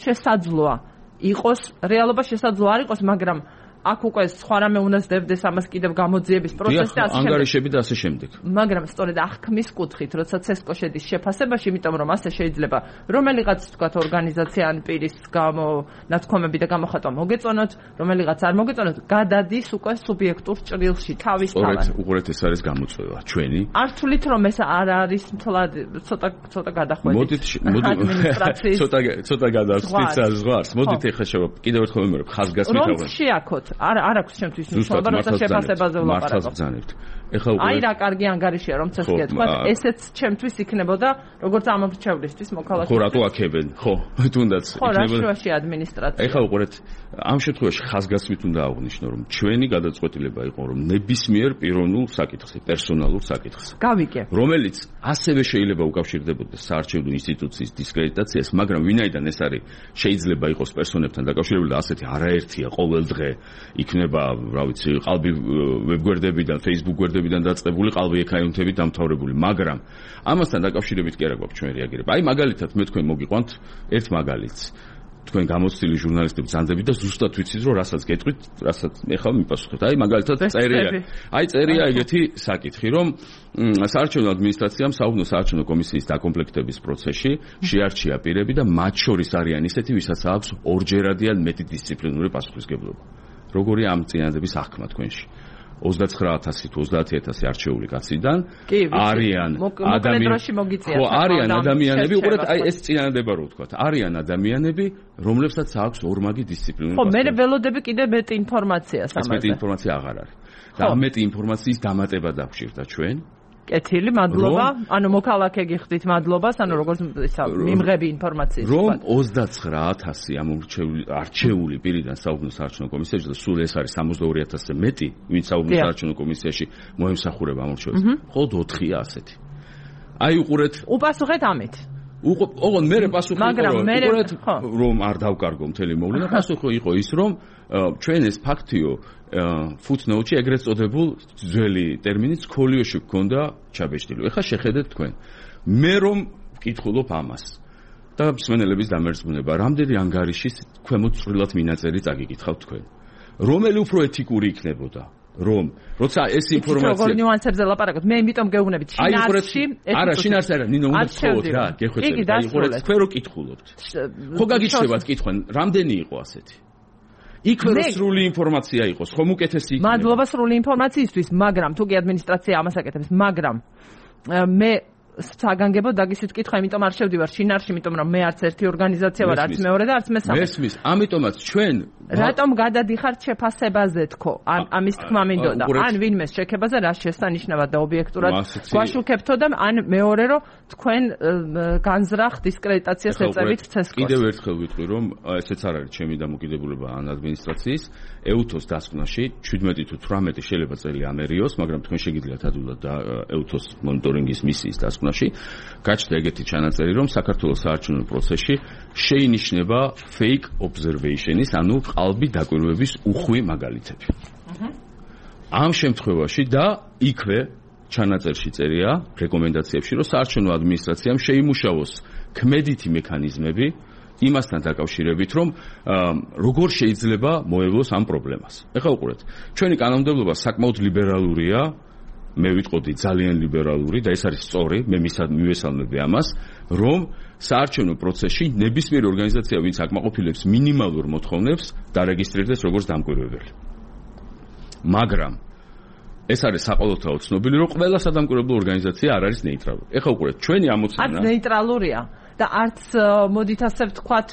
შესაძლოა იყოს რეალობა შესაძლოა არ იყოს მაგრამ აქ უკვე სხვა რამე უნდა ზრდებდეს ამას კიდევ გამოძიების პროცესი და ასე შემდეგ. ანგარიშები და ასე შემდეგ. მაგრამ სწორედ აღქმის კუთხით, როცა ცესკო შედის შეფასებაში, იმიტომ რომ ასე შეიძლება რომელიღაც თქვათ ორგანიზაცია ან პირის გამო ნათქვამები და გამოხატვა მოგეწონოთ, რომელიღაც არ მოგეწონოთ, გადადის უკვე სუბიექტურ ჭრილში თავის თავად. სწორედ უყურეთ ეს არის გამოწვევა ჩვენი. არ თვლით რომ ეს არ არის თლად ცოტა ცოტა გადახვედით. მოდით მოდით ცოტა ცოტა გადავწყვიტ ზღვარს. მოდით ეხლა შევა კიდევ ერთხელ ვიმეორებ ხაზგასმით რომ შეაქოთ არ არ აქვს ჩემთვის მნიშვნელობა, როცა შეფასებაზე ვლაპარაკობ. ეხლა უკვე აი რა კარგი ანგარიშია რომ ცეს გეთქვათ, ესეც ჩემთვის იქნებოდა როგორც ამომრჩევლისთვის მოქალაქე. ხო, რატო აქებენ? ხო, თუნდაც იქნებოდა. ხო, რა შუაში ადმინისტრაცია. ეხლა უყურეთ, ამ შემთხვევაში ხაზგასმით უნდა აღვნიშნო, რომ ჩვენი გადაწყვეტილება იყო, რომ ნებისმიერ პიროვნულ საკითხზე, პერსონალურ საკითხზე, გავიგე, რომელიც ასევე შეიძლება უკავშირდებოდეს საარჩევნო ინსტიტუციის დისკრედიტაციას, მაგრამ ვინაიდან ეს არის შეიძლება იყოს პერსონებთან დაკავშირებული და ასეთი არაერთია ყოველ დღე იქნება, რა ვიცი, ყალბი ვებგვერდებიდან, Facebook გვერდებიდან დაწყებული ყალბი ეკაუნტებით დამთავრებული, მაგრამ ამასთან დაკავშირებით კი არა გვაქვს ჩვენ რეაგირება. აი მაგალითად მე თქვენ მოგიყვანთ ერთ მაგალითს. თქვენ გამოცდილი ჟურნალისტები ძანდებით და ზუსტად ვიცით რომ რასაც გეტყვით, რასაც ეხლა მიპასუხებთ. აი მაგალითად წერია. აი წერია ეგეთი საკითხი, რომ საარჩევნო ადმინისტრაციამ საუბნო საარჩევნო კომისიის დაკომპლექტების პროცესში შეარჩია პირები და მათ შორის არიან ისეთი, ვისაც აქვს ორჯერადი ან მეტი დისციპლინური პასუხისმგებლობა. როგორი ამ წინადების აღქმა თქვენში? ოცდაცხრა ათასი თუ ოცდაათი ათასი არჩეული კაციდან არიან ადამიანები, ხო, არიან ადამიანები, უყურეთ, აი ეს წინადება რო ვთქვათ, არიან ადამიანები, რომლებსაც აქვს ორმაგი დისციპლინური პასუხისმგებლობა. ხო, მე ველოდები კიდე მეტი ინფორმაციას ამაზე. ეს მეტი ინფორმაცია აღარ არის. და ამ მეტი ინფორმაციის დამატება დაგვჭირდა ჩვენ. კეთილი, მადლობა. ანუ მოქალაქე გიხდით მადლობას, ანუ როგორც ისა მიმღები ინფორმაციის. რომ ოცდაცხრა ათასი ამორჩეული არჩეული პირიდან საუბნო საარჩევნო კომისიაში და სულ ეს არის სამოცდაორი ათასზე მეტი, ვინც საუბნო საარჩევნო კომისიაში მოემსახურება ამორჩეულს. მხოლოდ ოთხია ასეთი. აი უყურეთ. უპასუხეთ ამით. ოღონდ მე პასუხი იყო, უყურეთ, რომ არ დავკარგო მთელი მოვლენა, პასუხი იყო ის, რომ ჩვენ ეს ფაქტიო footnote-ში ეგრეთ წოდებულ ძველი ტერმინით სკოლიოში გქონდა ჩაბეჭდილი. ეხლა შეხედეთ თქვენ. მე რომ ვკითხულობ ამას და მსმენელების დამერწმუნება, რამდენი ანგარიშის ქვემოთ წვრილად მინაწერი წაგიკითხავთ თქვენ. რომელი უფრო ეთიკური იქნებოდა? რომ როცა ეს ინფორმაცია როგორ ნიუანსებზე ლაპარაკობთ, მე იმიტომ გეუბნებით შინაარსში, არა შინაარსი არა, ნინო უნდა გქოვოთ რა, გეხვეწებით, აი უყურეთ, თქვენ რო კითხულობთ. ხო გაგიჩნდებათ კითხვენ, რამდენი იყო ასეთი? იქვე რო სრული ინფორმაცია იყოს, ხომ უკეთესი იქნება. მადლობა სრული ინფორმაციისთვის, მაგრამ თუ კი ადმინისტრაცია ამას აკეთებს, მაგრამ მე საგანგებო დაგისვით კითხვა, იმიტომ არ შევდივარ შინაარსში, იმიტომ რომ მე არც ერთი ორგანიზაცია ვარ, არც მეორე და არც მესამე. მესმის, ამიტომაც ჩვენ რატომ გადადიხართ შეფასებაზე თქო? ან ამის თქმა მინდოდა. ან ვინმეს შექებაზე რა შესანიშნავად და ობიექტურად გვაშუქებთო და ან მეორე რომ თქვენ განზრახ დისკრედიტაციას ეწევით ცესკოს. კიდევ ერთხელ ვიტყვი რომ ესეც არ არის ჩემი დამოკიდებულება ან ადმინისტრაციის ეუთოს დასკვნაში ჩვიდმეტი თუ თვრამეტი შეიძლება წელი ამერიოს, მაგრამ თქვენ შეგიძლიათ ადვილად და ეუთოს მონიტორინგის მისიის დასკვნაში გაჩნდა ეგეთი ჩანაწერი, რომ საქართველოს საარჩევნო პროცესში შეინიშნება fake observation-ის, ანუ ყალბი დაკვირვების უხვი მაგალითები. ამ შემთხვევაში და იქვე ჩანაწერში წერია რეკომენდაციებში, რომ საარჩევნო ადმინისტრაციამ შეიმუშაოს ქმედითი მექანიზმები იმასთან დაკავშირებით, რომ როგორ შეიძლება მოევლოს ამ პრობლემას. ეხლა უყურეთ, ჩვენი კანონმდებლობა საკმაოდ ლიბერალურია, მე ვიტყოდი ძალიან ლიბერალური და ეს არის სწორი, მე მივესალმები ამას, რომ საარჩევნო პროცესში ნებისმიერი ორგანიზაცია, ვინც აკმაყოფილებს მინიმალურ მოთხოვნებს, დარეგისტრირდეს როგორც დამკვირვებელი. მაგრამ ეს არის საყოველთაოდ ცნობილი, რომ ყველა სადამკვირვებლო ორგანიზაცია არ არის ნეიტრალური. ეხლა უყურეთ, ჩვენი ამოცანა არც ნეიტრალურია და არც მოდით ასე ვთქვათ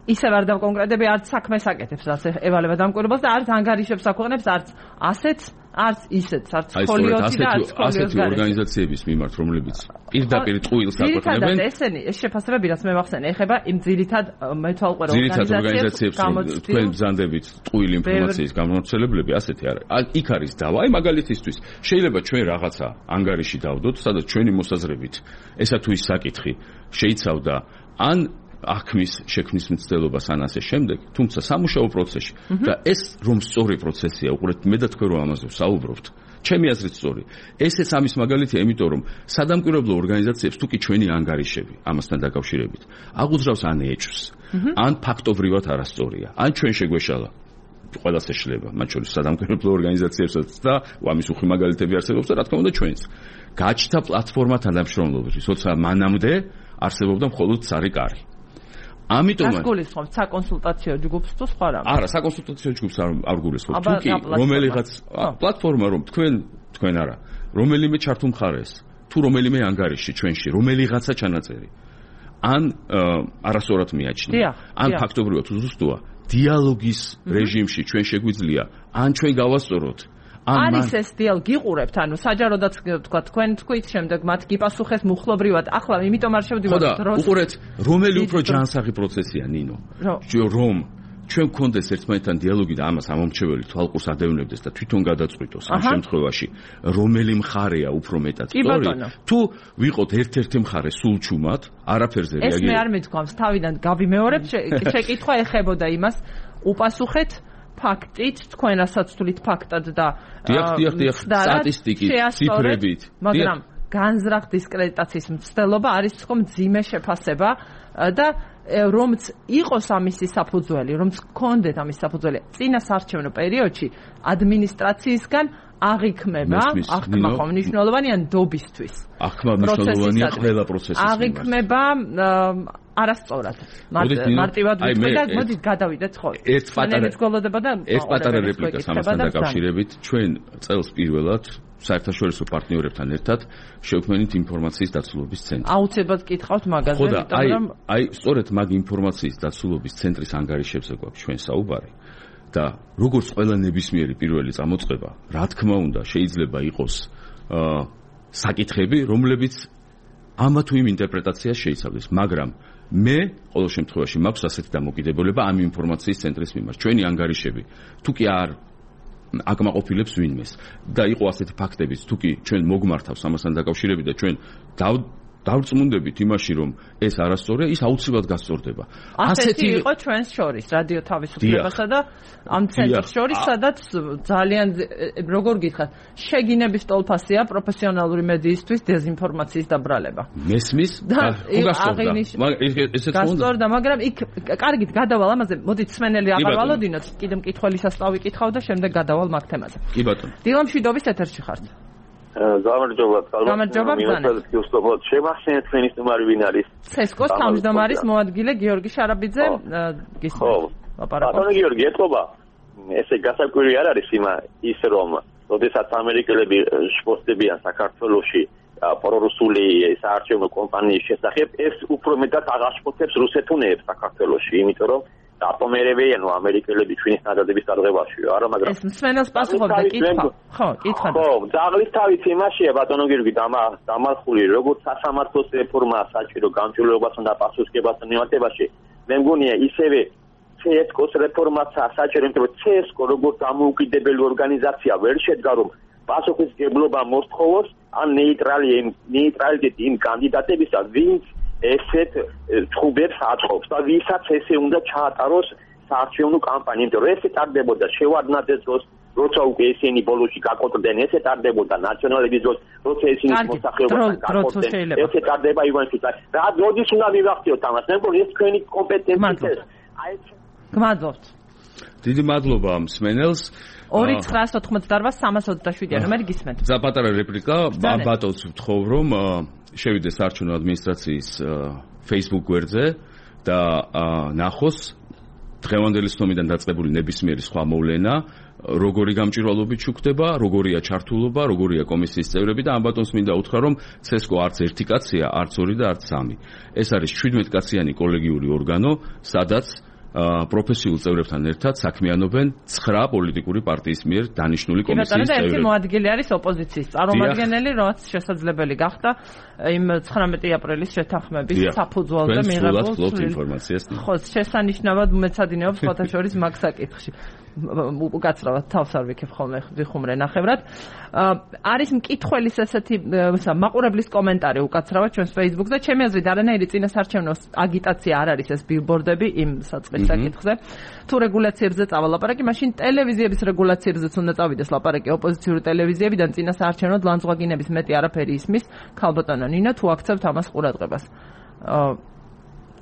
ისევ არ დავკონკრეტები, არც საქმეს აკეთებს, რაც ევალება დამკვირვებელს და არც ანგარიშებს აქვეყნებს, არც ასეთ, არც ისეთ, არც სკოლიოთი და არც სკოლიოს ასეთი ორგანიზაციების მიმართ, რომლებიც პირდაპირ ტყუილს აქვეყნებენ. ძირითადად ესენი, ეს შეფასებები, რაც მე ვახსენე, ეხება იმ ძირითად მეთვალყურე ორგანიზაციებს, თქვენ ბრძანდებით ტყუილი ინფორმაციის გამომცემლები, ასეთი არის. იქ არის დავა, აი მაგალითისთვის, შეიძლება ჩვენ რაღაცა ანგარიში დავდოთ, სადაც ჩვენი მოსაზრებით, ესა თუ ის საკითხი შეიცავდა ან აღქმის შექმნის მცდელობას ან ასე შემდეგ, თუმცა სამუშაო პროცესში და ეს რომ სწორი პროცესია, უყურეთ, მე და თქვენ რომ ამაზე ვსაუბრობთ, ჩემი აზრით სწორი. ესეც ამის მაგალითია, იმიტომ რომ სადამკვირვებლო ორგანიზაციებს თუ კი ჩვენი ანგარიშები ამასთან დაკავშირებით აღუძრავს ან ეჭვს, ან ფაქტობრივად არასწორია, ან ჩვენ შეგვეშალა ყველას ეშლება, მათ შორის სადამკვირვებლო ორგანიზაციებსაც და ამის უხვი მაგალითები არსებობს და რა თქმა უნდა ჩვენც. გაჩნდა პლატფორმა თანამშრომლობისთვის, როცა მანამდე არსებობდა მხოლოდ ცარი კარი. ამიტომაც არ გულისხმობთ საკონსულტაციო ჯგუფს თუ სხვა რამე? არა, საკონსულტაციო ჯგუფს არ არ გულისხმობ. თუ კი რომელიღაც პლატფორმა რომ თქვენ თქვენ არა, რომელიმე ჩართულმხარეს, თუ რომელიმე ანგარიში ჩვენში, რომელიღაცა ჩანაწერი. ან არასწორად მიაჩნია, ან ფაქტობრივად უზუსტოა, დიალოგის რეჟიმში ჩვენ შეგვიძლია, ან ჩვენ გავასწოროთ. არის ეს დიალოგი გიყურებთ, ანუ საჯაროდაც თქვა თქვენ თქვით, შემდეგ მათ გიპასუხეს მუხლობრივად. ახლა იმიტომ არ შევდივართ დროს. ხო, უყურეთ, რომელი უფრო ჯანსაღი პროცესია, ნინო. რომ ჩვენ გქონდეს ერთმანეთთან დიალოგი და ამას ამომრჩეველი თვალყურს ადევნებდეს და თვითონ გადაწყვიტოს ამ შემთხვევაში, რომელი მხარეა უფრო მეტად სწორი, თუ ვიყოთ ერთ-ერთი მხარე სულ ჩუმად, არაფერზე რეაგირებს. ეს მე არ მეთქვამს, თავიდან გავიმეორებ, შეკითხვა ეხებოდა იმას, უპასუხეთ ფაქტით, თქვენ რასაც თulit ფაქტად და დიახ, დიახ, დიახ, სტატისტიკით, ციფრებით, მაგრამ განზრახ დისკრედიტაციის მცდელობა არის თქო მძიმე შეფასება და რომც იყოს ამისი საფუძველი, რომც გქონდეთ ამის საფუძველი წინა საარჩევნო პერიოდში ადმინისტრაციისგან აღიქმება, აღქმა ხომ მნიშვნელოვანია ნდობისთვის. აღქმა მნიშვნელოვანია ყველა პროცესის. აღიქმება არასწორად. მარტივად ვიტყვი და მოდით გადავიდეთ ხო. ერთ პატარა გოლოდება და ერთ პატარა რეპლიკა ამასთან დაკავშირებით, ჩვენ წელს პირველად საერთაშორისო პარტნიორებთან ერთად შევქმნით ინფორმაციის დაცულობის ცენტრი. აუცილებლად გითხავთ მაგაზე, იმიტომ რომ აი სწორედ მაგ ინფორმაციის დაცულობის ცენტრის ანგარიშებზე გვაქვს ჩვენ საუბარი. და როგორც ყველა ნებისმიერი პირველი წამოწყება, რა თქმა უნდა, შეიძლება იყოს აა საკითხები, რომლებიც ამა თუ იმ ინტერპრეტაციას შეიცავდეს, მაგრამ მე ყოველ შემთხვევაში მაქვს ასეთი დამოკიდებულება ამ ინფორმაციის ცენტრის მიმართ. ჩვენი ანგარიშები თუ კი არ აკმაყოფილებს ვინმეს და იყო ასეთი ფაქტებიც, თუ კი ჩვენ მოგმართავს ამასთან დაკავშირებით და ჩვენ დავრწმუნდებით იმაში, რომ ეს არასწორია, ის აუცილებლად გასწორდება. ასეთი იყო ჩვენს შორის, რადიო თავისუფლებასა და ამ ცენტრს შორის, სადაც ძალიან როგორ გითხრათ, შეგინების ტოლფასია პროფესიონალური მედიისთვის დეზინფორმაციის დაბრალება. მესმის და გასწორდა, მაგრამ იქ კარგით გადავალ ამაზე, მოდით სმენელი აღარ ვალოდინოთ, კიდე მკითხველისას დავიკითხავ და შემდეგ გადავალ მაგ თემაზე. კი ბატონო. დილა მშვიდობის ეთერში ხართ. გამარჯობა, გამარჯობა, ბრძანეთ. შევახსენეთ თქვენი სტუმარი ვინ არის? ცესკოს თავმჯდომარის მოადგილე გიორგი შარაბიძე გისმენთ. ბატონო გიორგი, ეთქობა, ესე გასაკვირი არ არის იმა ის რომ, როდესაც ამერიკელები შფოთდებიან საქართველოში პრორუსული საარჩევნო კომპანიის შესახებ, ეს უფრო მეტად აღაშფოთებს რუსეთუნეებს საქართველოში, იმიტომ რომ დაპომერებიან ამერიკელები ჩვენის ნადადების დარღვევაშიო, არა, მაგრამ ეს მსმენელს პასუხობდა კითხვა. ხო, კითხვა. ხო, ძაღლის თავით იმაშია ბატონო გიორგი დამარხული, როგორც სასამართლოს რეფორმა საჭირო გამჭვირვალობასთან და პასუხისმგებლობასთან მიმართებაში, მე მგონია ისევე ცესკოს რეფორმაც საჭირო, იმიტომ რომ ცესკო როგორც დამოუკიდებელი ორგანიზაცია ვერ შედგა, რომ პასუხისმგებლობა მოსთხოვოს ან ნეიტრალი ნეიტრალიტეტი იმ კანდიდატებისა, ვინც ესეთ ჩხუბებს აწყობს და ვისაც ესე უნდა ჩაატაროს საარჩევნო კამპანია, იმიტომ რომ ესე ტარდებოდა შევარდნაძეს დროს, როცა უკვე ესენი ბოლოში გაკოტრდნენ, ესე ტარდებოდა ნაციონალების დროს, როცა ესენი მოსახლეობასთან გაკოტრდნენ, ესე ტარდება ივანშვილს. რა როდის უნდა მივახციოთ ამას? მე მგონი ეს თქვენი კომპეტენცია. აი გმადლობთ. დიდი მადლობა მსმენელს. ორი ცხრაას ოთხმოცდაოთხ სამას ოცდაშვიდი ნომერი გისმენთ. ზაპატარა რეპლიკა, ბატონს ვთხოვ, რომ შევიდეს საარჩევნო ადმინისტრაციის Facebook გვერდზე და ნახოს დღევანდელი ცნობიდან დაწყებული ნებისმიერი სხვა მოვლენა, როგორი გამჭვირვალობით შუქდება, როგორია ჩართულობა, როგორია კომისიის წევრები და ამ ბატონს მინდა უთხრა, რომ ცესკო არც ერთი კაცია, არც ორი და არც სამი. ეს არის შვიდმეტ კაციანი კოლეგიური ორგანო, სადაც პროფესიულ წევრებთან ერთად საქმიანობენ ცხრა პოლიტიკური პარტიის მიერ დანიშნული კომისიის წევრები. ერთი მოადგილე არის ოპოზიციის წარმომადგენელი, რაც შესაძლებელი გახდა იმ ცხრამეტი აპრილის შეთანხმების საფუძველზე მიღებულ ინფორმაციას. ხო, შესანიშნავად მეცადინეობს სხვათა შორის მაგ საკითხში. უკაცრავად თავს არ ვიქებ ხოლმე ვიხუმრე ნახევრად. არის მკითხველის ესეთი მაყურებლის კომენტარი უკაცრავად ჩვენს Facebook-ზე. ჩემი აზრით არანაირი წინასარჩევნო აგიტაცია არ არის ეს ბილბორდები იმ საწყის საკითხზე. თუ რეგულაციებზე წავალაპარაკი, მაშინ ტელევიზიების რეგულაციებზეც უნდა წავიდეს ლაპარაკი ოპოზიციური ტელევიზიებიდან წინასარჩევნო ლანძღვაგინების მეტი არაფერი ისმის. ქალბატონო ნინა, თუ აქცევთ ამას ყურადღებას.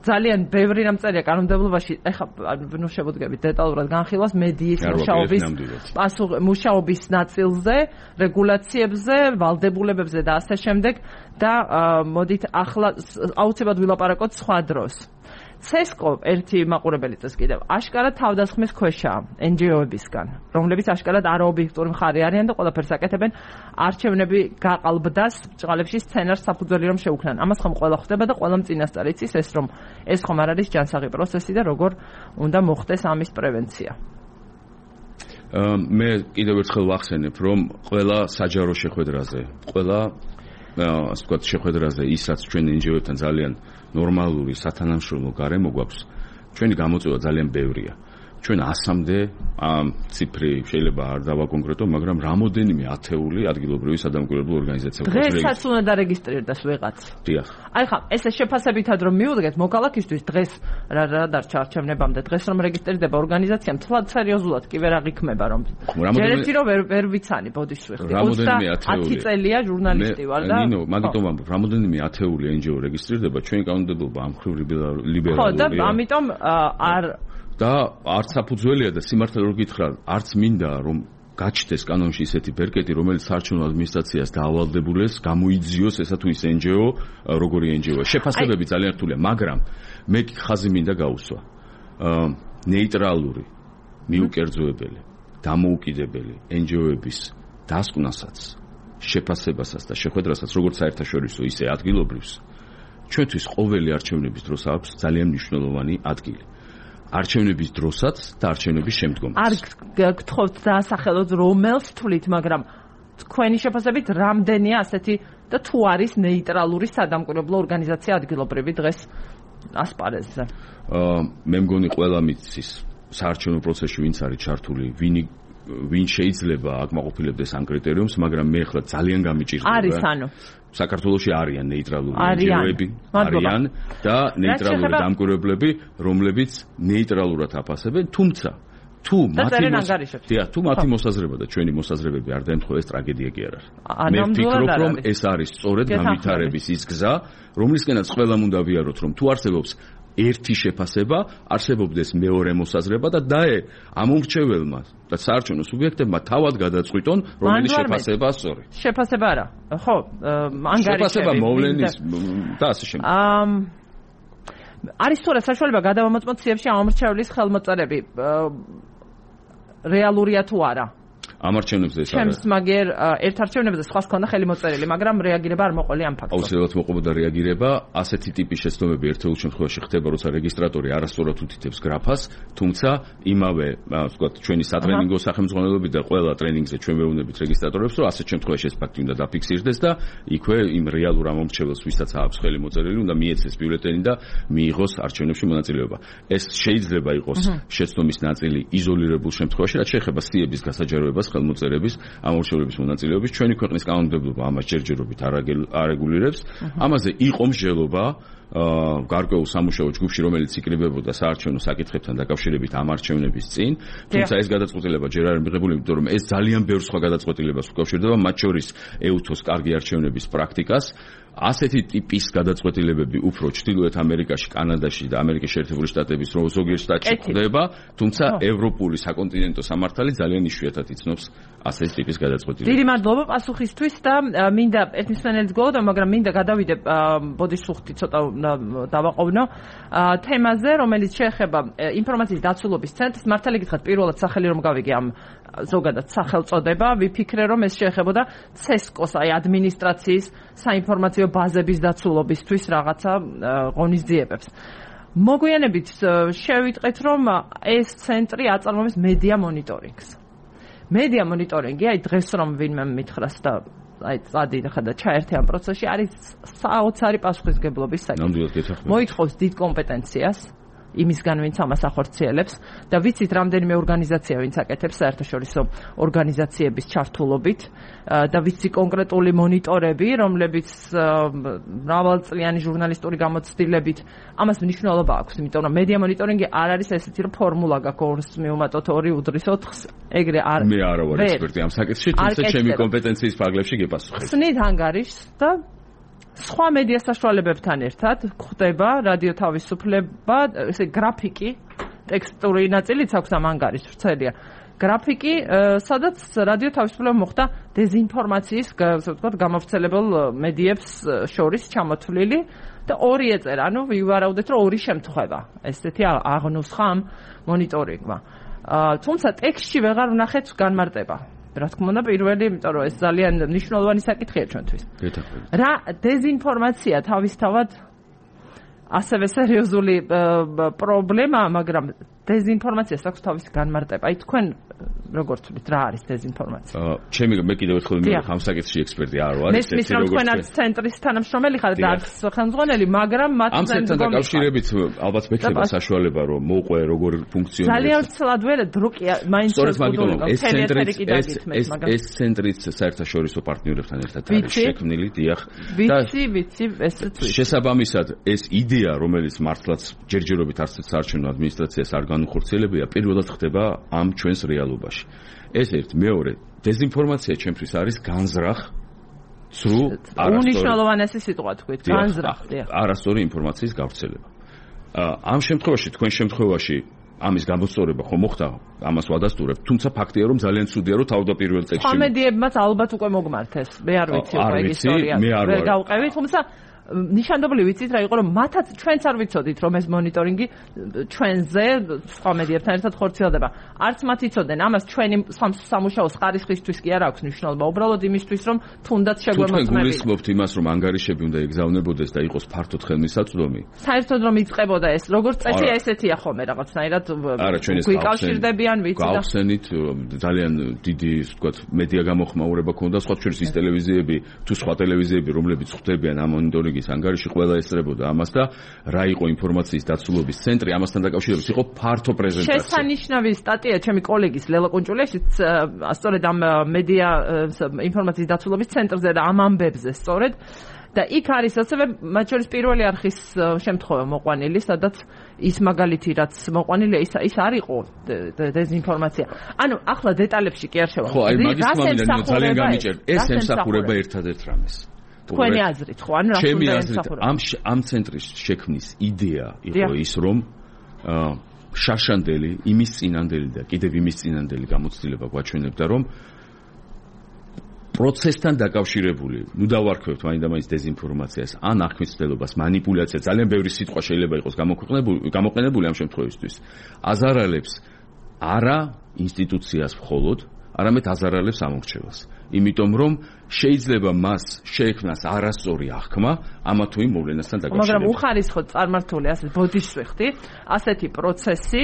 ძალიან ბევრი რამ წერია კანონმდებლობაში, ეხლა ნუ შევუდგებით დეტალურად განხილვას მედიის მუშაობის პასუხ მუშაობის ნაწილზე, რეგულაციებზე, ვალდებულებებზე და ასე შემდეგ და მოდით ახლა აუცილებლად ვილაპარაკოთ სხვა დროს. ცესკო ერთი მაყურებელი წეს კიდევ აშკარად თავდასხმის ქვეშაა εν ჯი ო-ებისგან, რომლებიც აშკარად არაობიექტური მხარე არიან და ყველაფერს აკეთებენ არჩევნები გაყალბდას ბჭყალებში სცენარს საფუძველი რომ შეუქმნან. ამას ხომ ყველა ხვდება და ყველა წინასწარ იცის ეს რომ ეს ხომ არ არის ჯანსაღი პროცესი და როგორ უნდა მოხდეს ამის პრევენცია. მე კიდევ ერთხელ ვახსენებ, რომ ყველა საჯარო შეხვედრაზე, ყველა ასე ვთქვათ შეხვედრაზე ის რაც ჩვენ εν ჯი ო-ებთან ძალიან ნორმალური სათანამშრომლო გარემო გვაქვს, ჩვენი გამოწვევა ძალიან ბევრია. ჩვენ ასამდე ამ ციფრი შეიძლება არ დავაკონკრეტო, მაგრამ რამოდენიმე ათეული ადგილობრივი სადამკვირვებლო ორგანიზაცია გვაქვს. დღესაც უნდა დარეგისტრირდეს ვიღაც. დიახ. აი ხა, ესე შეფასებითად რომ მივუდგეთ, მოკალათისთვის დღეს რა რა დარჩა არჩევნებამდე, დღეს რომ რეგისტრირდება ორგანიზაცია, მთლად სერიოზულად კი ვერ აღიქმება რომ. ჯერეთი რომ ვერ ვერ ვიცანი ბოდიშვი ხდი. რამოდენიმე ათეული. ათი წელია ჟურნალისტი ვარ და. ნინო, მაგიტომ ვამბობ, რამოდენიმე ათეული εν ჯი ო რეგისტრირდება, ჩვენი კანონმდებლობა ამ ხრივ ლიბერალურია. ხო, და ამიტომ არ და არც საფუძველია და სიმართლე რო გითხრა, არც მინდა რომ გაჩნდეს კანონში ისეთი ბერკეტი, რომელიც საარჩევნო ადმინისტრაციას დაავალდებულეს, გამოიძიოს ესა თუ ის εν ჯი ო, როგორი εν ჯი ო. შეფასებები ძალიან რთულია, მაგრამ მე ხაზი მინდა გაუსვა. ნეიტრალური, მიუკერძოებელი, დამოუკიდებელი εν ჯი ო-ების დასკვნასაც, შეფასებასაც და შეხვედრასაც, როგორც საერთაშორისო, ისე ადგილობრივს, ჩვენთვის ყოველი არჩევნების დროს აქვს ძალიან მნიშვნელოვანი ადგილი. არჩევნების დროსაც და არჩევნების შემდგომაც. არ გთხოვთ დაასახელოთ რომელს თვლით, მაგრამ თქვენი შეფასებით რამდენია ასეთი და თუ არის ნეიტრალური სადამკვირვებლო ორგანიზაცია ადგილობრივი დღეს ასპარეზზე? აა მე მგონი ყველა მიცის საარჩევნო პროცესში ვინც არის ჩართული, ვინი ვინ შეიძლება აკმაყოფილებდეს ამ კრიტერიუმს, მაგრამ მე ახლა ძალიან გამიჭირდება. არის ანუ საქართველოში არიან ნეიტრალური εν ჯი ო-ები, არიან და ნეიტრალური დამკვირვებლები, რომლებიც ნეიტრალურად აფასებენ, თუმცა თუ მათი თუ მათი მოსაზრება და ჩვენი მოსაზრებები არ დაემთხვა, ეს ტრაგედია კი არ არის. მე ვფიქრობ, რომ ეს არის სწორედ განვითარების ის გზა, რომლისკენაც ყველამ უნდა ვიაროთ, რომ თუ არსებობს ერთი შეფასება, არსებობდეს მეორე მოსაზრება და დაე ამომრჩეველმა და საარჩევნო სუბიექტებმა თავად გადაწყვიტონ, რომელი შეფასებაა სწორი. შეფასება არა. ხო, ანგარიშები. შეფასება მოვლენის და ასე შემდეგ. ამ არის სწორად საშუალება გადავამოწმოთ სიებში ამომრჩევლის ხელმოწერები. რეალურია თუ არა? ამ არჩევნებზე ეს არის. ჩემს მაგერ ერთ არჩევნებზე სხვას ქონდა ხელი მოწერილი, მაგრამ რეაგირება არ მოყოლი ამ ფაქტს. აუცილებლად მოყოლოდა რეაგირება, ასეთი ტიპის შეცდომები ერთეულ შემთხვევაში ხდება, როცა რეგისტრატორი არასწორად უთითებს გრაფას, თუმცა იმავე, ასე ვთქვათ, ჩვენი სატრენინგო სახელმძღვანელოები და ყველა ტრენინგზე ჩვენ მეუბნებით რეგისტრატორებს, რომ ასეთ შემთხვევაში ეს ფაქტი უნდა დაფიქსირდეს და იქვე იმ რეალურ ამომრჩეველს, ვისაც აქვს ხელი მოწერილი, უნდა მიეცეს ბიულეტენი და მიიღოს არჩევნებში მონაწილეობა. ეს შეიძლება იყოს შეცდომის ნაწილი იზოლირებულ შემთხვევაში, რაც შეეხება სიების გასაჯაროებას, ხელმოწერების, ამორჩევლების მონაწილეობის. ჩვენი ქვეყნის კანონმდებლობა ამას ჯერჯერობით არეგულირებს. ამაზე იყო მსჯელობა გარკვეულ სამუშაო ჯგუფში, რომელიც იკრიბებოდა საარჩევნო საკითხებთან დაკავშირებით ამ არჩევნების წინ, თუმცა ეს გადაწყვეტილება ჯერ არ მიღებული, იმიტომ რომ ეს ძალიან ბევრ სხვა გადაწყვეტილებას უკავშირდება, მათ შორის ეუთოს კარგი არჩევნების პრაქტიკას. ასეთი ტიპის გადაწყვეტილებები უფრო ჩრდილოეთ ამერიკაში, კანადაში და ამერიკის შეერთებული შტატების ზოგიერთ შტატში ხდება, თუმცა ევროპული საკონტინენტო სამართალი ძალიან იშვიათად იცნობს ასეთი ტიპის გადაწყვეტილებებს. დიდი მადლობა პასუხისთვის და მინდა ერთმისმენელიც გოლოდა, მაგრამ მინდა გადავიდე ბოდიშუხტი ცოტა დავაყოვნო თემაზე, რომელიც შეეხება ინფორმაციის დაცულობის ცენტრს. მართალი გითხრათ, პირველად სახელი რომ გავიგე ამ ზოგადად სახელწოდება, ვიფიქრე რომ ეს შეეხებოდა ცესკოს, აი ადმინისტრაციის საინფორმაციო ბაზების დაცულობისთვის რაღაცა ღონისძიებებს. მოგვიანებით შევიტყვეთ, რომ ეს ცენტრი აწარმოებს მედია მონიტორინგს. მედია მონიტორინგი, აი დღეს რომ ვინმე მითხრას და აი წადი და ჩაერთე ამ პროცესში, არის საოცარი პასუხისმგებლობის საკითხი. მოითხოვს დიდ კომპეტენციას იმისგან, ვინც ამას ახორციელებს და ვიცით რამდენიმე ორგანიზაცია, ვინც აკეთებს საერთაშორისო ორგანიზაციების ჩართულობით და ვიცი კონკრეტული მონიტორები, რომლებიც მრავალწლიანი ჟურნალისტური გამოცდილებით ამას მნიშვნელობა აქვს, იმიტომ რომ მედია მონიტორინგი არ არის ესეთი რომ ფორმულა გაქვს მივუმატოთ ორი უდრის ოთხს, ეგრე არ მე არ ვარ ექსპერტი ამ საკითხში, თუმცა ჩემი კომპეტენციის ფარგლებში გეპასუხებ. ხსნით ანგარიშს და სხვა მედია საშუალებებთან ერთად ხდება რადიო თავისუფლება, ესე გრაფიკი, ტექსტური ნაწილიც აქვს ამ ანგარიშს, ვრცელია. გრაფიკი, სადაც რადიო თავისუფლება მოხდა დეზინფორმაციის, ასე ვთქვათ, გამავრცელებელ მედიებს შორის ჩამოთვლილი და ორი ეწერა, ანუ ვივარავდეთ, რომ ორი შემთხვევა. ესეთი აღნუსხა ამ მონიტორინგმა. თუმცა ტექსტში ვეღარ ვნახეთ განმარტება. რა თქმა უნდა, პირველი, იმიტომ რომ ეს ძალიან მნიშვნელოვანი საკითხია ჩვენთვის. რა დეზინფორმაცია თავისთავად ასევე სერიოზული პრობლემაა, მაგრამ დეზინფორმაციას აქვს თავისი განმარტება. აი თქვენ როგორც ვთქვით, რა არის დეზინფორმაცია? ჩემი მე კიდევ ერთხელ მიმოვიხ ამ საკითხში ექსპერტი არ ვარ. ეს მის რომ თქვენ არც ცენტრის თანამშრომელი ხართ და არც ხელმძღვანელი, მაგრამ მათ ამ ცენტრთან დაკავშირებით ალბათ მექნება საშუალება რომ მოყვე როგორ ფუნქციონირებს. ძალიან ცლად ვერ დრუკი მაინც ეს ცენტრი ეს ცენტრიც საერთაშორისო პარტნიორებთან ერთად არის შექმნილი, დიახ. ვიცი, ვიცი, ესეც ვიცი. შესაბამისად, ეს იდეა, რომელიც მართლაც ჯერჯერობით არც საარჩევნო ადმინისტრაციას არ განუხორციელებია, პირველად ხდება ამ ჩვენს რეალობაში. ეს ერთ, მეორე, დეზინფორმაცია ჩემთვის არის განზრახ, ცრუ, უნიშნულოვანესი სიტყვა თქვით, განზრახ, დიახ. არასწორი ინფორმაციის გავრცელება. ამ შემთხვევაში, თქვენ შემთხვევაში ამის გამოსწორება ხომ მოხდა, ამას ვადასტურებ, თუმცა ფაქტია რომ ძალიან ცუდია რომ თავდაპირველ ტექსტში სხვა მედიებმაც ალბათ უკვე მოგმართ ეს. მე არ ვიცი უკვე ეს ისტორია. ვერ გავყევი, თუმცა ნიშანდობლივ ვიცით რა იყო რომ მათაც ჩვენც არ ვიცოდით რომ ეს მონიტორინგი ჩვენზე სხვა მედიებთან ერთად ხორციელდება. არც მათ იცოდნენ ამას ჩვენი სამუშაოს ხარისხისთვის კი არ აქვს მნიშვნელობა, უბრალოდ იმისთვის რომ თუნდაც შეგვემოწმებინა. თქვენ გულისხმობთ იმას რომ ანგარიშები უნდა ეგზავნებოდეს და იყოს ფართოდ ხელმისაწვდომი? საერთოდ რომ იწყებოდა ეს, როგორც წესია ესეთია ხოლმე რაღაცნაირად გვიკავშირდებიან ვიცი და გავხსენით ძალიან დიდი ვთქვათ მედია გამოხმაურება ქონდა სხვა შორის ის ტელევიზიები თუ სხვა ტელევიზიები რომლებიც ხვდებიან ამ მონიტორინგის ანგარიში ყველა ესწრებოდა ამას და რა იყო ინფორმაციის დაცულობის ცენტრი ამასთან დაკავშირებით იყო ფართო პრეზენტაცია. შესანიშნავი სტატია ჩემი კოლეგის ლელა კუნჭულეშიც სწორედ ამ მედია ინფორმაციის დაცულობის ცენტრზე და ამ ამბებზე სწორედ და იქ არის ასევე მათ შორის პირველი არხის შემთხვევა მოყვანილი, სადაც ის მაგალითი რაც მოყვანილია ის ის არ იყო დეზინფორმაცია. ანუ ახლა დეტალებში კი არ შევარ. ხო, აი მაგის მომენტი ძალიან გამიჭერთ. ეს ემსახურება ერთადერთ რამეს. თქვენი აზრით ხო, ანუ რა ჩემი აზრით ამ ამ ცენტრის შექმნის იდეა იყო ის რომ შაშანდელი იმის წინანდელი და კიდევ იმის წინანდელი გამოცდილება გვაჩვენებდა რომ პროცესთან დაკავშირებული, ნუ დავარქვევთ მაინდა-მაინც დეზინფორმაციას, ან აღქმის-მცდელობას, მანიპულაციას, ძალიან ბევრი სიტყვა შეიძლება იყოს გამოქვეყნებული, გამოყენებული ამ შემთხვევისთვის. აზარალებს არა ინსტიტუციას მხოლოდ, არამედ აზარალებს ამორჩეველს. იმიტომ რომ შეიძლება მას შეექმნას არასწორი აღქმა ამა თუ იმ მოვლენასთან დაკავშირებით. მაგრამ უხარისხოდ წარმართული ასე ბოდიშს ვიხდი, ასეთი პროცესი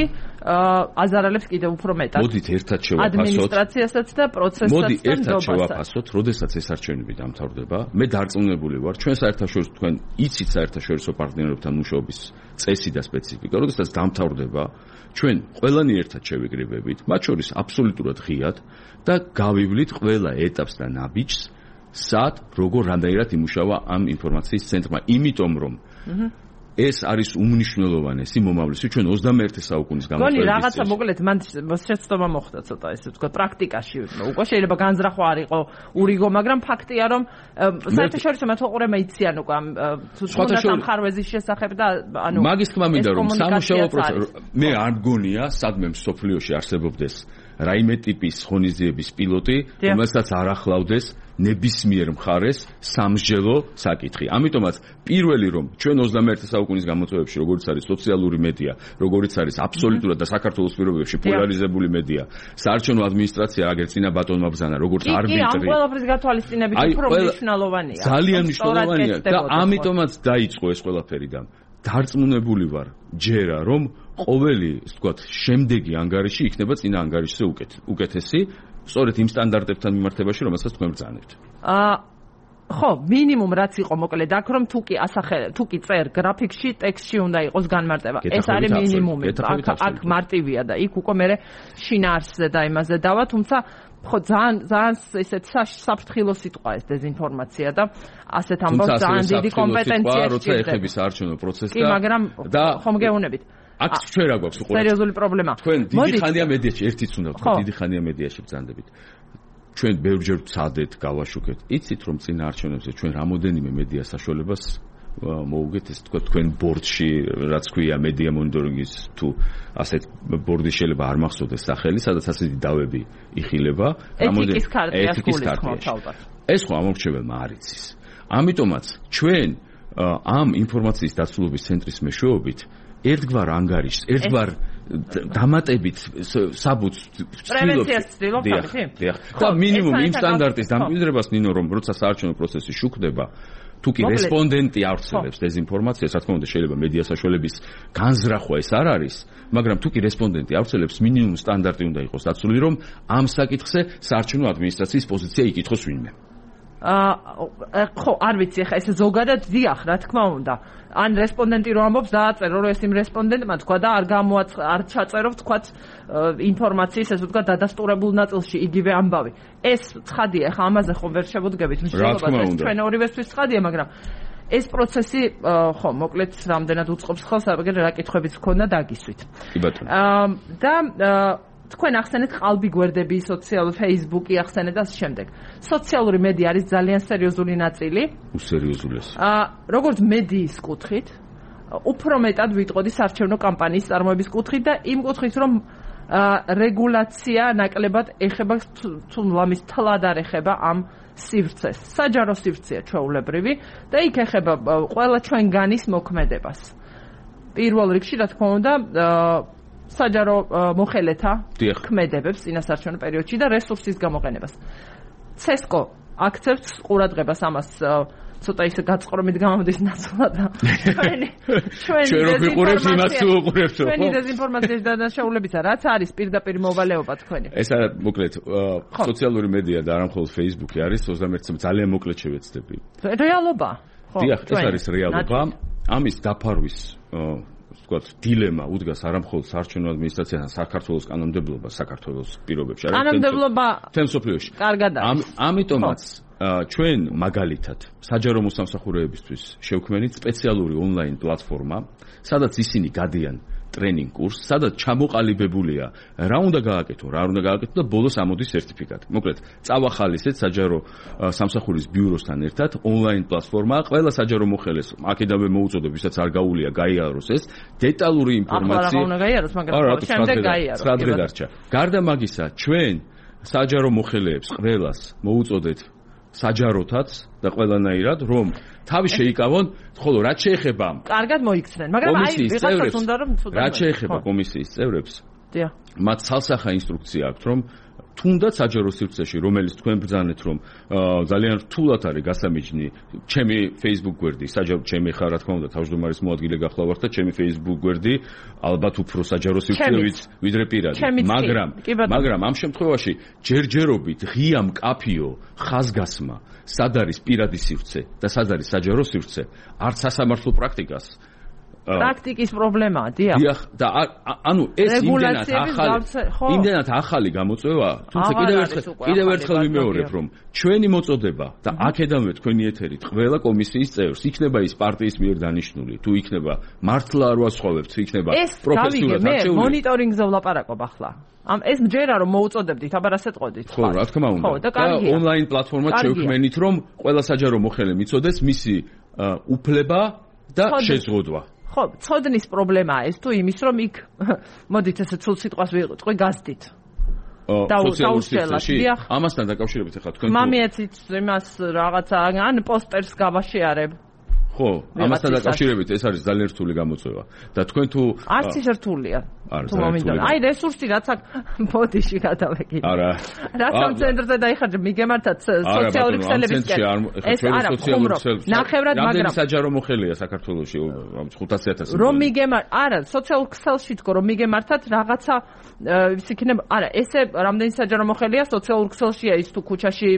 აზარალებს კიდევ უფრო მეტად. მოდით ერთად შევაფასოთ. ადმინისტრაციასაც და პროცესსაც და მოდი ერთად შევაფასოთ, როდესაც ეს არჩევნები დამთავრდება. მე დარწმუნებული ვარ, ჩვენ საერთაშორისო თქვენ იცით საერთაშორისო პარტნიორებთან მუშაობის წესი და სპეციფიკა, როდესაც დამთავრდება, ჩვენ ყველანი ერთად შევიკრიბებით, მათ შორის აბსოლუტურად ღიად და გავივლით ყველა ეტაპს და ნაბიჯს, სად, როგორ, რამდენად იმუშავა ამ ინფორმაციის ცენტრმა, იმიტომ რომ ეს არის უმნიშვნელოვანესი მომავლისი ჩვენ ოცდამეერთე საუკუნის გამოყენების. გონი რაღაცა მოკლედ მან შეცდომა მოხდა ცოტა ესე ვთქვა პრაქტიკაში. უკვე შეიძლება განზრახვა არ იყო ურიგო, მაგრამ ფაქტია რომ საერთაშორისო მეთვალყურეობა იციან უკვე ამ თუნდაც ამ ხარვეზის შესახებ და ანუ მაგის თქმა მინდა რომ სამუშაო პროცესი მე არ მგონია სადმე მსოფლიოში არსებობდეს რაიმე ტიპის ღონისძიების პილოტი, რომელსაც არ ახლავდეს ნებისმიერ მხარეს სამსჯელო საკითხი. ამიტომაც პირველი რომ ჩვენ ოცდამეერთე საუკუნის გამოწვევებში, როგორც არის სოციალური მედია, როგორც არის აბსოლუტურად და საქართველოს პირობებში პოლარიზებული მედია, საარჩევნო ადმინისტრაცია აგერ წინა ბატონმა ბრძანა, როგორც არბიტრი. კი, ამ ყველაფრის გათვალისწინებით უფრო მნიშვნელოვანია. ძალიან მნიშვნელოვანია და ამიტომაც დაიწყო ეს ყველაფერი და დარწმუნებული ვარ ჯერა რომ ყოველი, ასე ვთქვათ, შემდეგი ანგარიში იქნება წინა ანგარიშზე უკეთესი, სწორედ იმ სტანდარტებთან მიმართებაში, რომელსაც თქვენ ბრძანებთ. აა ხო, მინიმუმ რაც იყო მოკლედ აქ რომ თუ კი ასახე, თუ კი წერ გრაფიკში, ტექსტში უნდა იყოს განმარტება. ეს არის მინიმუმი. აქ აქ მარტივია და იქ უკვე მე შინაარსზე და იმაზე დავა, თუმცა ხო ძალიან ძალიან ესეთ საფრთხილო სიტყვა ეს დეზინფორმაცია და ასეთ ამბავს ძალიან დიდი კომპეტენცია სიტყვა, როცა ეხების საარჩევნო პროცესს და კი, მაგრამ ხომ გეუბნებით. აქ ჩვენ რა გვაქვს უყურებთ? სერიოზული პრობლემა. თქვენ დიდი ხანია მედიაში, ერთიც უნდა ვთქვა, დიდი ხანია მედიაში ბრძანდებით. ჩვენ ბევრჯერ ვცადეთ, გავაშუქეთ. იცით რომ წინა არჩევნებზე ჩვენ რამოდენიმე მედია საშუალებას მოუგეთ, ეს თქვა თქვენ ბორდში, რაც ქვია მედია მონიტორინგის თუ ასეთ ბორდი შეიძლება არ მახსოვდეს სახელი, სადაც ასეთი დავები იხილება, ეთიკის ქარტია. ეს ხო ამორჩეველმა არ იცის. ამიტომაც ჩვენ ამ ინფორმაციის დაცულობის ცენტრის მეშვეობით ერთგვარ ანგარიშს, ერთგვარ დამატებით საბუთს ვცდილობთ. და მინიმუმ იმ სტანდარტის დამკვიდრებას ნინო რომ როცა საარჩევნო პროცესი შუქდება, თუ კი რესპონდენტი ავრცელებს დეზინფორმაციას, რა თქმა უნდა შეიძლება მედია საშუალების განზრახვა ეს არ არის, მაგრამ თუ კი რესპონდენტი ავრცელებს მინიმუმ სტანდარტი უნდა იყოს დაცული, რომ ამ საკითხზე საარჩევნო ადმინისტრაციის პოზიცია იკითხოს ვინმე. აა ხო, არ ვიცი, ხა ეს ზოგადად დიახ, რა თქმა უნდა. ან რესპონდენტი რო ამბობს, დააწერო რომ ეს იმ რესპონდენტმა თქვა და არ გამოაც არ ჩაწერო თქვა ინფორმაციის, ესე ვთქვა, დადასტურებულ ნაწილში იგივე ამბავი. ეს ცხადია, ხა ამაზე ხომ ვერ შევდგებით მსჯელობას, ეს ჩვენ ორივესთვის ცხადია, მაგრამ ეს პროცესი ხო, მოკლედ რამდენად უწყობს ხელს, აგერ რა კითხვებიც გქონდა დაგისვით. კი ბატონო. აა და თქვენ ახსენეთ ყალბი გვერდები, სოციალურ Facebook-ი ახსენეთ და შემდეგ. სოციალური მედია არის ძალიან სერიოზული ნაწილი. უსერიოზულესი. აა როგორც მედიის კუთხით, უფრო მეტად ვიტყოდი საარჩევნო კამპანიის წარმოების კუთხით და იმ კუთხით, რომ აა რეგულაცია ნაკლებად ეხება თუ ლამის თლად არ ეხება ამ სივრცეს. საჯარო სივრცეა ჩვეულებრივი და იქ ეხება ყველა ჩვენგანის მოქმედებას. პირველ რიგში, რა თქმა უნდა, აა საჯარო მოხელეთა ქმედებებს წინასაარჩევნო პერიოდში და რესურსის გამოყენებას. ცესკო აქცევს ყურადღებას ამას ცოტა ისე გაწყრომით გამოდის ნაცვლად და ჩვენი ჩვენი ჩვენი დეზინფორმაციის დანაშაულებისა რაც არის პირდაპირ მოვალეობა თქვენი. ეს არა მოკლედ სოციალური მედია და არა მხოლოდ Facebook-ი არის ოცდამეერთე ძალიან მოკლედ შევეცდები. რეალობა. ხო, დიახ, ეს არის რეალობა. ამის დაფარვის ვთქვათ, დილემა უდგას არა მხოლოდ საარჩევნო ადმინისტრაციასთან, საქართველოს კანონმდებლობას, საქართველოს პირობებში, არა კანონმდებლობა თემ სოფლიოში. კარგად არის. ამიტომაც ჩვენ მაგალითად საჯარო მოსამსახურეებისთვის შევქმნით სპეციალური ონლაინ პლატფორმა, სადაც ისინი გადიან ტრენინგ კურსს, სადაც ჩამოყალიბებულია რა უნდა გააკეთო, რა არ უნდა გააკეთო და ბოლოს ამოდის სერტიფიკატი. მოკლედ, წავახალისეთ საჯარო სამსახურის ბიუროსთან ერთად ონლაინ პლატფორმა, ყველა საჯარო მოხელეს აქედავე მოუწოდებ, ვისაც არ გაუვლია გაიაროს ეს დეტალური ინფორმაცია. ახლა რა უნდა გაიაროს, მაგრამ შემდეგ გაიაროს. სრადრე დარჩა. გარდა მაგისა, ჩვენ საჯარო მოხელეებს ყველას მოუწოდეთ საჯაროთაც და ყველანაირად რომ თავი შეიკავონ, ხოლო რაც შეეხება კარგად მოიქცნენ, მაგრამ აი ვიღაცას უნდა რომ რაც შეეხება კომისიის წევრებს, დიახ, მათ ცალსახა ინსტრუქცია აქვთ, რომ თუნდაც საჯარო სივრცეში, რომელიც თქვენ ბრძანეთ, რომ ძალიან რთულად არის გასამიჯნი, ჩემი Facebook გვერდი, საჯარო ჩემი ხარ, რა თქმა უნდა, თავმჯდომარის მოადგილე გახლა ვარ და ჩემი Facebook გვერდი ალბათ უფრო საჯარო სივრცეებით ვიდრე პირადი, მაგრამ მაგრამ ამ შემთხვევაში ჯერჯერობით ღია მკაფიო ხაზგასმა, სად არის პირადი სივრცე და სად არის საჯარო სივრცე, არც სასამართლო პრაქტიკას პრაქტიკის პრობლემაა, დიახ. დიახ, და ანუ ეს იმდენად ახალი, იმდენად ახალი გამოწვევა, თუმცა კიდევ ერთხელ, კიდევ ერთხელ ვიმეორებ, რომ ჩვენი მოწოდება და აქედანვე თქვენი ეთერით ყველა კომისიის წევრს იქნება ის პარტიის მიერ დანიშნული, თუ იქნება მართლა არ ვასხოვებთ, იქნება პროფესიულად არჩეული. მე მონიტორინგზე ვლაპარაკობ ახლა. ამ ეს მჯერა რომ მოუწოდებდით, აბა რას ეტყოდით? ხო, რა თქმა უნდა. და ონლაინ პლატფორმად შევქმნით, რომ ყველა საჯარო მოხელე მიწოდეს მისი უფლება და შეზღუდვა. ხო, ცოდნის პრობლემაა ეს თუ იმის რომ იქ მოდით ესე ცულ სიტყვას ვიყო გაზდით. და სოციალურ დიახ. ამასთან დაკავშირებით ახლა თქვენ მამიაცით იმას რაღაცა ან პოსტერს გავაშეარებ. ხო, ამასთან დაკავშირებით ეს არის ძალიან რთული გამოწვევა. და თქვენ თუ არც ის რთულია. თუ მომინდონა. აი რესურსი რაც აქ ბოდიში გადავეკიდე. არა. რასამ ცენტრზე დაიხარჯე მიგემართად სოციალური ქსელებისკენ. ეს არა ხუმრობ. ნახევრად მაგრამ რამდენი საჯარო მოხელეა საქართველოში ხუთასი ათასი. რომ მიგემარ არა სოციალურ ქსელში თქო რომ მიგემართად რაღაცა ის იქნება არა ესე რამდენი საჯარო მოხელეა სოციალურ ქსელშია ის თუ ქუჩაში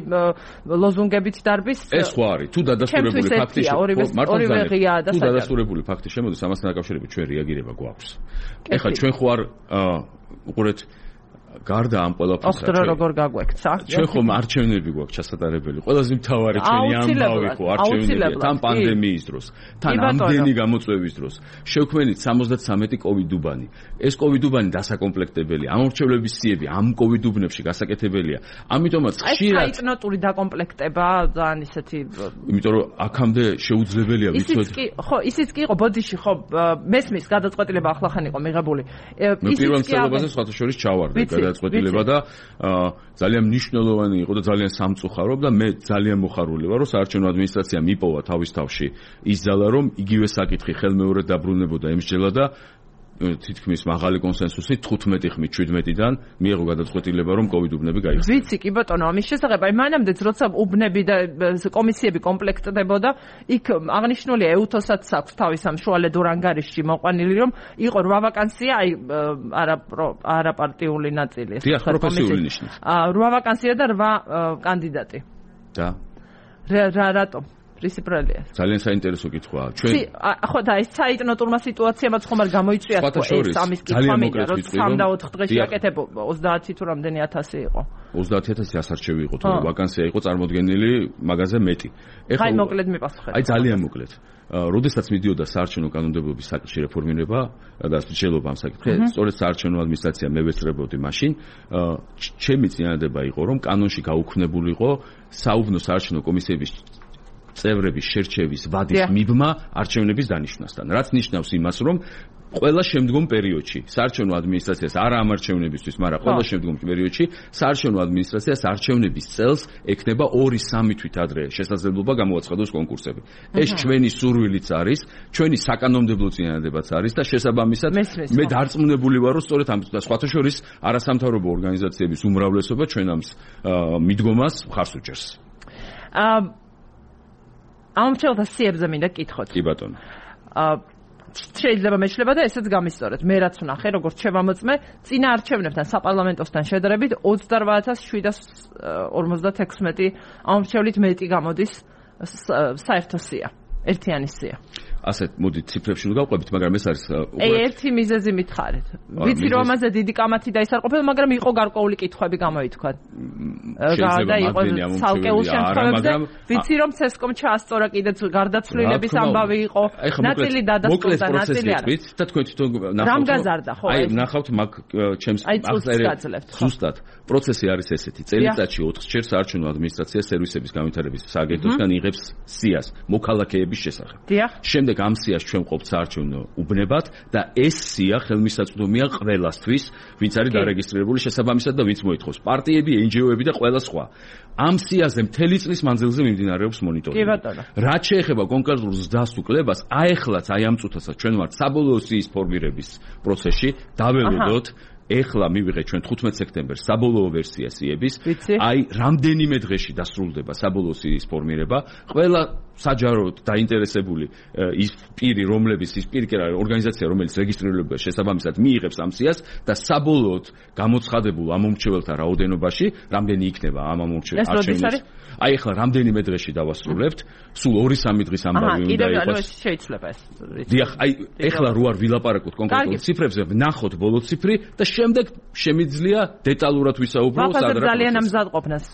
ლოზუნგებით დარბის. ეს ხო არის თუ დადასტურებული ფაქტი ორივე ღია და საჯარო. თუ დადასტურებული ფაქტი შემოდის ამასთან დაკავშირებით ჩვენ რეაგირება გვაქვს. ეხლა ჩვენ ხო არ უყურეთ გარდა ამ ყველაფერს ოქტრო როგორ გაგვექცა ჩვენ ხომ არჩევნები გვაქვს ჩასატარებელი ყველაზე მთავარი ჩვენი ამბავი ხო არჩევნებია თან პანდემიის დროს თან ამდენი გამოწვევის დროს შევქმნით სამოცდათვრამეტი კოვიდუბანი ეს კოვიდუბანი დასაკომპლექტებელია ამორჩევლების სიები ამ კოვიდუბნებში გასაკეთებელია ამიტომაც ხშირად აი საიტნოტური დაკომპლექტება ძალიან ისეთი იმიტომ რომ აქამდე შეუძლებელია ვიცოდი ისიც კი ხო ისიც კი იყო ბოდიში ხო მესმის გადაწყვეტილება ახლახან იყო მიღებული ისიც კი პირველ მცდელობაზე სხვათა შორის ჩავარდა გადაწყვეტილება და ძალიან მნიშვნელოვანი იყო და ძალიან სამწუხარო და მე ძალიან მოხარული ვარ რომ საარჩევნო ადმინისტრაციამ იპოვა თავის თავში ის ძალა რომ იგივე საკითხი ხელმეორედ დაბრუნებოდა ემსჯელა და თითქმის მაღალი კონსენსუსით თხუთმეტი ხმით შვიდმეტიდან მიიღო გადაწყვეტილება რომ კოვიდუბნები გაიხსნა. ვიცი კი ბატონო ამის შესახებ აი მანამდეც როცა უბნები და კომისიები კომპლექტდებოდა იქ აღნიშნულია ეუთოსაც აქვს თავის ამ შუალედურ ანგარიშში მოყვანილი რომ იყო რვა ვაკანსია აი არა არა პარტიული ნაწილი ეს პროფესიული ნიშნით. რვა ვაკანსია და რვა კანდიდატი. და რა რატომ პრინციპალია. ძალიან საინტერესო კითხვაა. ჩვენ ხო და ეს საიტნოტურმა სიტუაციამაც ხომ არ გამოიწვია თქო ეს ამის კითხვა მინდა რომ სამ და ოთხ დღეში აკეთებო ოცდაათი თუ რამდენი ათასი იყო. ოცდაათი ათასი ასარჩევი იყო თორე ვაკანსია იყო წარმოდგენილი მაგაზე მეტი. ეხლა აი მოკლედ მიპასუხეთ. აი ძალიან მოკლედ. როდესაც მიდიოდა საარჩევნო კანონმდებლობის საკითხი რეფორმირება და მსჯელობა ამ საკითხზე, სწორედ საარჩევნო ადმინისტრაცია მე ვესწრებოდი მაშინ, ჩემი წინადადება იყო რომ კანონში გაუქმებულიყო საუბნო საარჩევნო კომისიების წევრების შერჩევის ვადის მიბმა არჩევნების დანიშვნასთან. რაც ნიშნავს იმას, რომ ყველა შემდგომ პერიოდში საარჩევნო ადმინისტრაციას არა ამ არჩევნებისთვის, მაგრამ ყველა შემდგომ პერიოდში საარჩევნო ადმინისტრაციას არჩევნების წელს ექნება ორი სამი თვით ადრე შესაძლებლობა გამოაცხადოს კონკურსები. ეს ჩვენი სურვილიც არის, ჩვენი საკანონმდებლო წინადადებაც არის და შესაბამისად მე დარწმუნებული ვარ, რომ სწორედ ამ სხვათა შორის არასამთავრობო ორგანიზაციების უმრავლესობა ჩვენ ამ მიდგომას მხარს უჭერს. აა ამ ჩელთა სიებზე მინდა კითხოთ. კი ბატონო. აა შეიძლება მეშლება და ესეც გამისწორეთ. მე რაც ვნახე, როგორც შევამოწმე, წინა არჩევნებთან საპარლამენტოსთან შედარებით ოცდარვა ათას შვიდას ორმოცდათექვსმეტი ამორჩევლით მეტი გამოდის საერთო სია, ერთიანი სია. ასეთ მოდით ციფრებში გავყვებით, მაგრამ ეს არის აი ერთი მიზეზი მითხარით. ვიცი რომ ამაზე დიდი კამათი დაისარყოფება, მაგრამ იყო გარკვეული კითხვები გამოითქვა. და იყო ცალკეულ შემთხვევებში ვიცი რომ ცესკომ ჩაასწორა კიდეც გარდაცვლილების ამბავი იყო. ნაწილი დადასტურდა, ნაწილი არა. და თქვენ თვითონ ნახავთ. რამ გაზარდა ხო? აი ნახავთ მაგ ჩემს აღწერებს. ზუსტად პროცესი არის ესეთი. წელიწადში ოთხ ჯერ საარჩევნო ადმინისტრაცია სერვისების განვითარების სააგენტოსგან იღებს სიას მოქალაქეების შესახებ. დიახ. შემდეგ ამ სიას ჩვენ ყოფთ საარჩევნო უბნებად და ეს სია ხელმისაწვდომია ყველასთვის, ვინც არის დარეგისტრირებული შესაბამისად და ვინც მოითხოვს. პარტიები, en ge o-ები და ყველა სხვა. ამ სიაზე მთელი წლის მანძილზე მიმდინარეობს მონიტორინგი. კი ბატონო. რაც შეეხება კონკრეტულ ზრდას თუ კლებას, აი ახლაც აი ამ წუთასაც ჩვენ ვართ საბოლოო სიის ფორმირების პროცესში, დაველოდოთ ეხლა მივიღეთ ჩვენ თხუთმეტ სექტემბერს საბოლოო ვერსია სიების, აი რამდენიმე დღეში დასრულდება საბოლოო სიის ფორმირება, ყველა საჯაროდ დაინტერესებული ის პირი, რომლებიც ის პირი ორგანიზაცია, რომელიც რეგისტრირებულია შესაბამისად მიიღებს ამ სიას და საბოლოოდ გამოცხადებულ ამ მომრჩეველთა რაოდენობაში, რამდენი იქნება ამ არჩევნების. აი ახლა რამდენიმე დღეში დავასრულებთ, სულ ორი სამი დღის ამბავი უნდა იყოს. შეიძლება ეს. დიახ, აი ახლა რო არ ვილაპარაკოთ კონკრეტულ ციფრებზე, ვნახოთ ბოლო ციფრი და შემდეგ შემიძლია დეტალურად ვისაუბროთ სადღაც. ძალიან ამზადყოფნას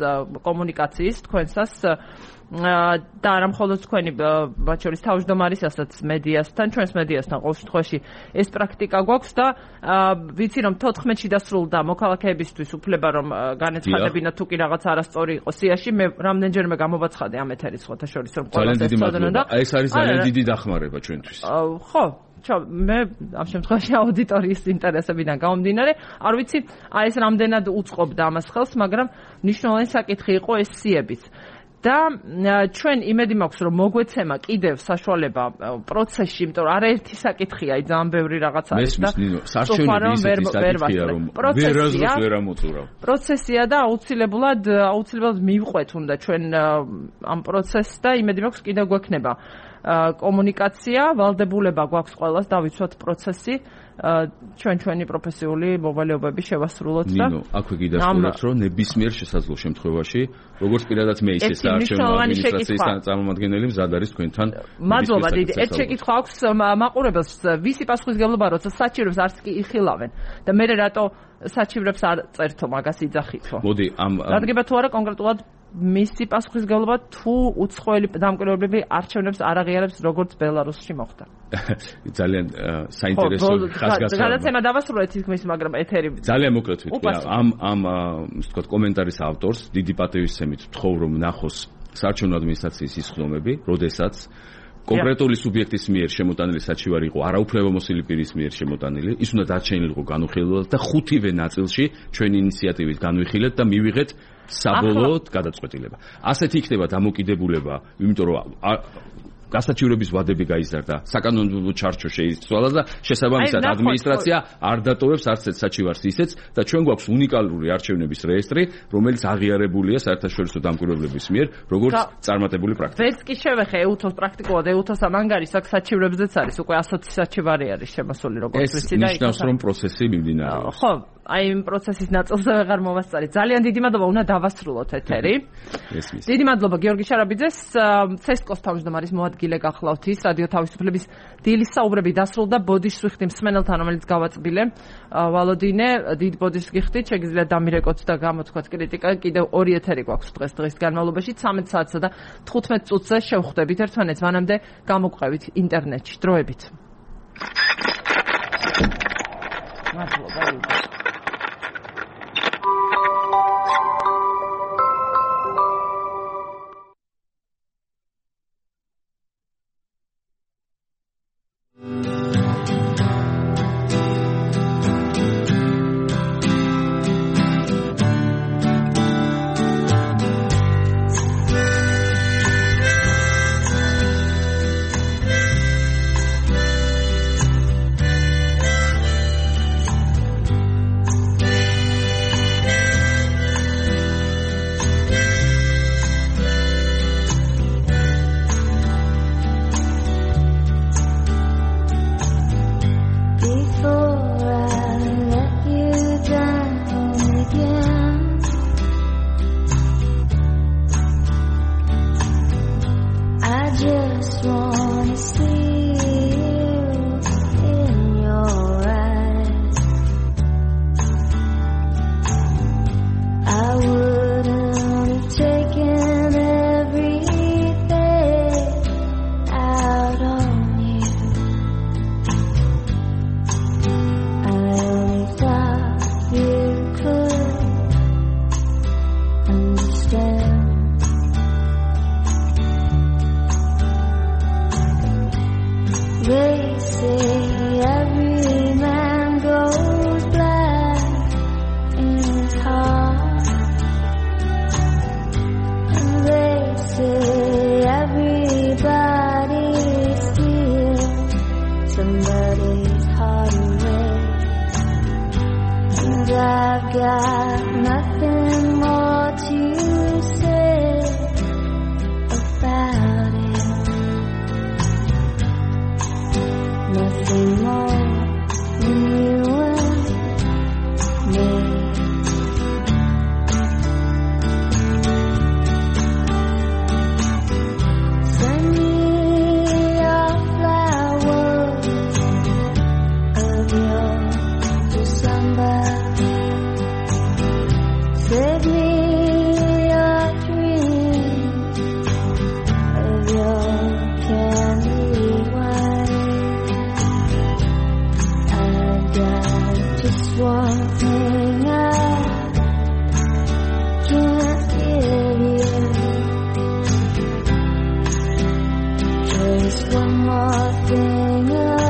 კომუნიკაციის თქვენსას და არა მხოლოდ თქვენი მათ შორის თავმჯდომარისასაც მედიასთან, ჩვენს მედიასთან ყოველ შემთხვევაში ეს პრაქტიკა გვაქვს და ვიცი რომ თოთხმეტში დასრულდა მოქალაქეებისთვის უფლება რომ განეცხადებინათ თუ კი რაღაც არასწორი იყო სიაში, მე რამდენჯერმე გამოვაცხადე ამ ეთერის სხვათა შორის რომ ყველას ეს ცოდნა და ეს არის ძალიან დიდი დახმარება ჩვენთვის. ხო მე ამ შემთხვევაში აუდიტორიის ინტერესებიდან გამომდინარე, არ ვიცი, აი ეს რამდენად უწყობდა ამას ხელს, მაგრამ მნიშვნელოვანი საკითხი იყო ეს სიებიც. და ჩვენ იმედი მაქვს რომ მოგვეცემა კიდევ საშუალება პროცესში, იმიტომ რომ არაერთი საკითხია, აი ძალიან ბევრი რაღაც არის და სარჩევნები ისეთი საკითხია რომ ვერაზრს ვერ ამოწურავ. პროცესია და აუცილებლად აუცილებლად მივყვეთ უნდა ჩვენ ამ პროცესს და იმედი მაქვს კიდევ გვექნება კომუნიკაცია, ვალდებულება გვაქვს ყველას დავიცვათ პროცესი. ჩვენ ჩვენი პროფესიული მოვალეობები შევასრულოთ და ნინო, აქვე გიდასტურებთ, რომ ნებისმიერ შესაძლო შემთხვევაში, როგორც პირადად მე ისე საარჩევნო ადმინისტრაციის წარმომადგენელი მზად არის თქვენთან. მადლობა დიდი. ერთ შეკითხვა აქვს მაყურებელს, ვისი პასუხისგებლობა როცა საჩივრებს არც კი იხილავენ და მე რატო საჩივრებს არ წერთო მაგას იძახითო. მოდი, ამ დადგება თუ არა კონკრეტულად მისი პასუხისგებლობა თუ უცხოელი დამკვირვებლები არჩევნებს არ აღიარებს როგორც ბელარუსში მოხდა. ძალიან საინტერესო ხაზგასმება. გადაცემა დავასრულეთ თითქმის, მაგრამ ეთერი ძალიან მოკლედ ვიტყვი. ამ ამ ისე ვთქვათ კომენტარის ავტორს დიდი პატივისცემით ვთხოვ რომ ნახოს საარჩევნო ადმინისტრაციის ის ხდომები, როდესაც კონკრეტული სუბიექტის მიერ შემოტანილი საჩივარი იყო არაუფლებამოსილი პირის მიერ შემოტანილი, ის უნდა დარჩენილიყო განუხილებლად და ხუთივე ნაწილში ჩვენი ინიციატივით განვიხილეთ და მივიღეთ საბოლოოდ გადაწყვეტილება. ასეთი იქნება დამოკიდებულება, იმიტომ რომ გასაჩივრების ვადები გაიზარდა, საკანონმდებლო ჩარჩო შეიცვალა და შესაბამისად ადმინისტრაცია არ დატოვებს არც ერთ საჩივარს ისეც და ჩვენ გვაქვს უნიკალური არჩევნების რეესტრი, რომელიც აღიარებულია საერთაშორისო დამკვირვებლების მიერ, როგორც წარმატებული პრაქტიკა. ვერც კი შევეხე ეუთოს პრაქტიკულად, ეუთოს ამ ანგარის აქ საჩივრებზეც არის, უკვე ასოცი საჩივარი არის შემოსული როგორც ვიცი და ეს ნიშნავს რომ პროცესი მიმდინარეობს. ხო, აი იმ პროცესის ნაწილზე ვეღარ მოვასწარი. ძალიან დიდი მადლობა, უნდა დავასრულოთ ეთერი. დიდი მადლობა გიორგი შარაბიძეს, ცესკოს თავმჯდომარის მოადგილე გახლავთ ის რადიო თავისუფლების დილის საუბრები დასრულდა ბოდიშს ვიხდი მსმენელთან, რომელიც გავაწბილე. ვალოდინე, დიდ ბოდიშს გიხდით, შეგიძლიათ დამირეკოთ და გამოთქვათ კრიტიკა. კიდევ ორი ეთერი გვაქვს დღეს დღის განმავლობაში, ცამეტ საათსა და თხუთმეტ წუთზე შევხვდებით ერთმანეთს, მანამდე გამოგყვებით ინტერნეტში. დროებით. მადლობა. got nothing more to say about it. Nothing more than you and me. Send me your flowers of your December. Save me your dreams of your candy wine. I've got just one thing I can't give you. Just one more thing of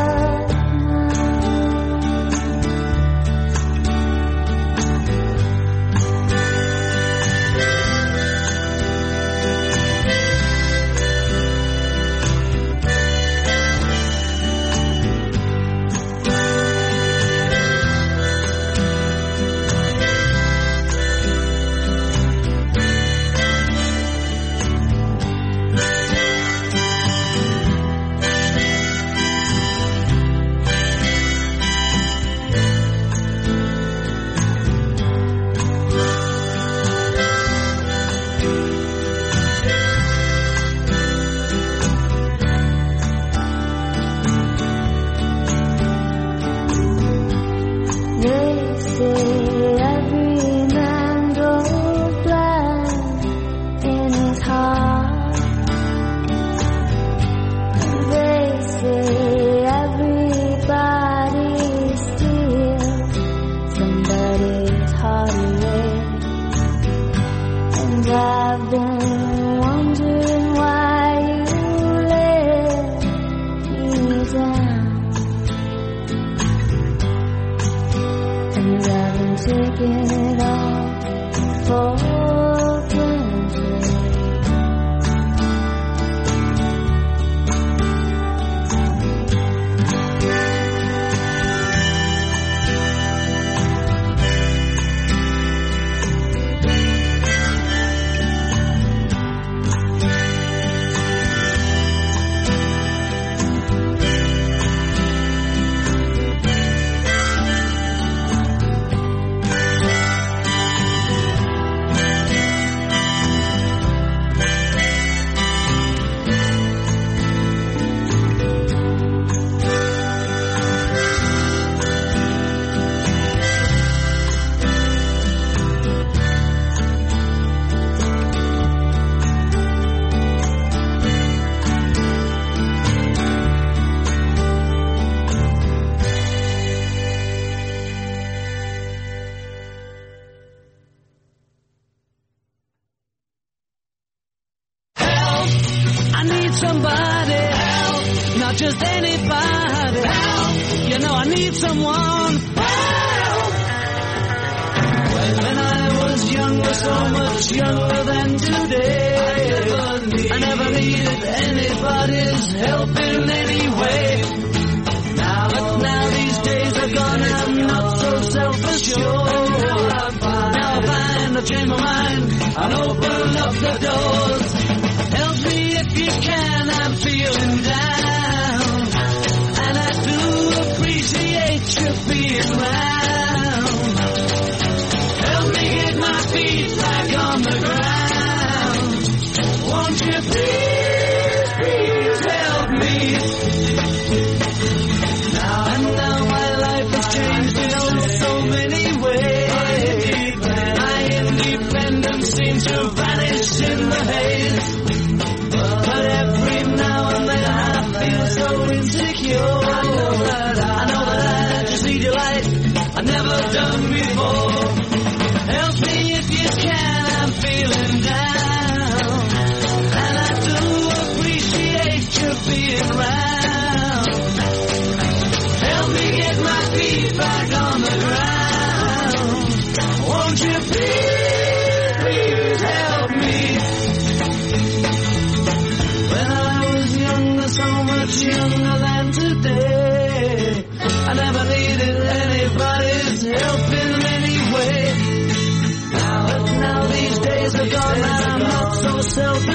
I never needed anybody's help in any way.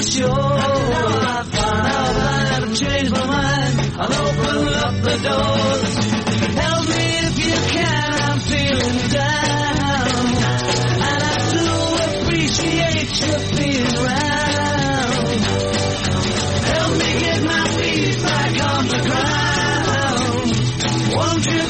sure. And now I find now that I've changed my mind. I'll open up the doors. Help me if you can, I'm feeling down. And I do appreciate you being around. Help me get my feet back on the ground. Won't you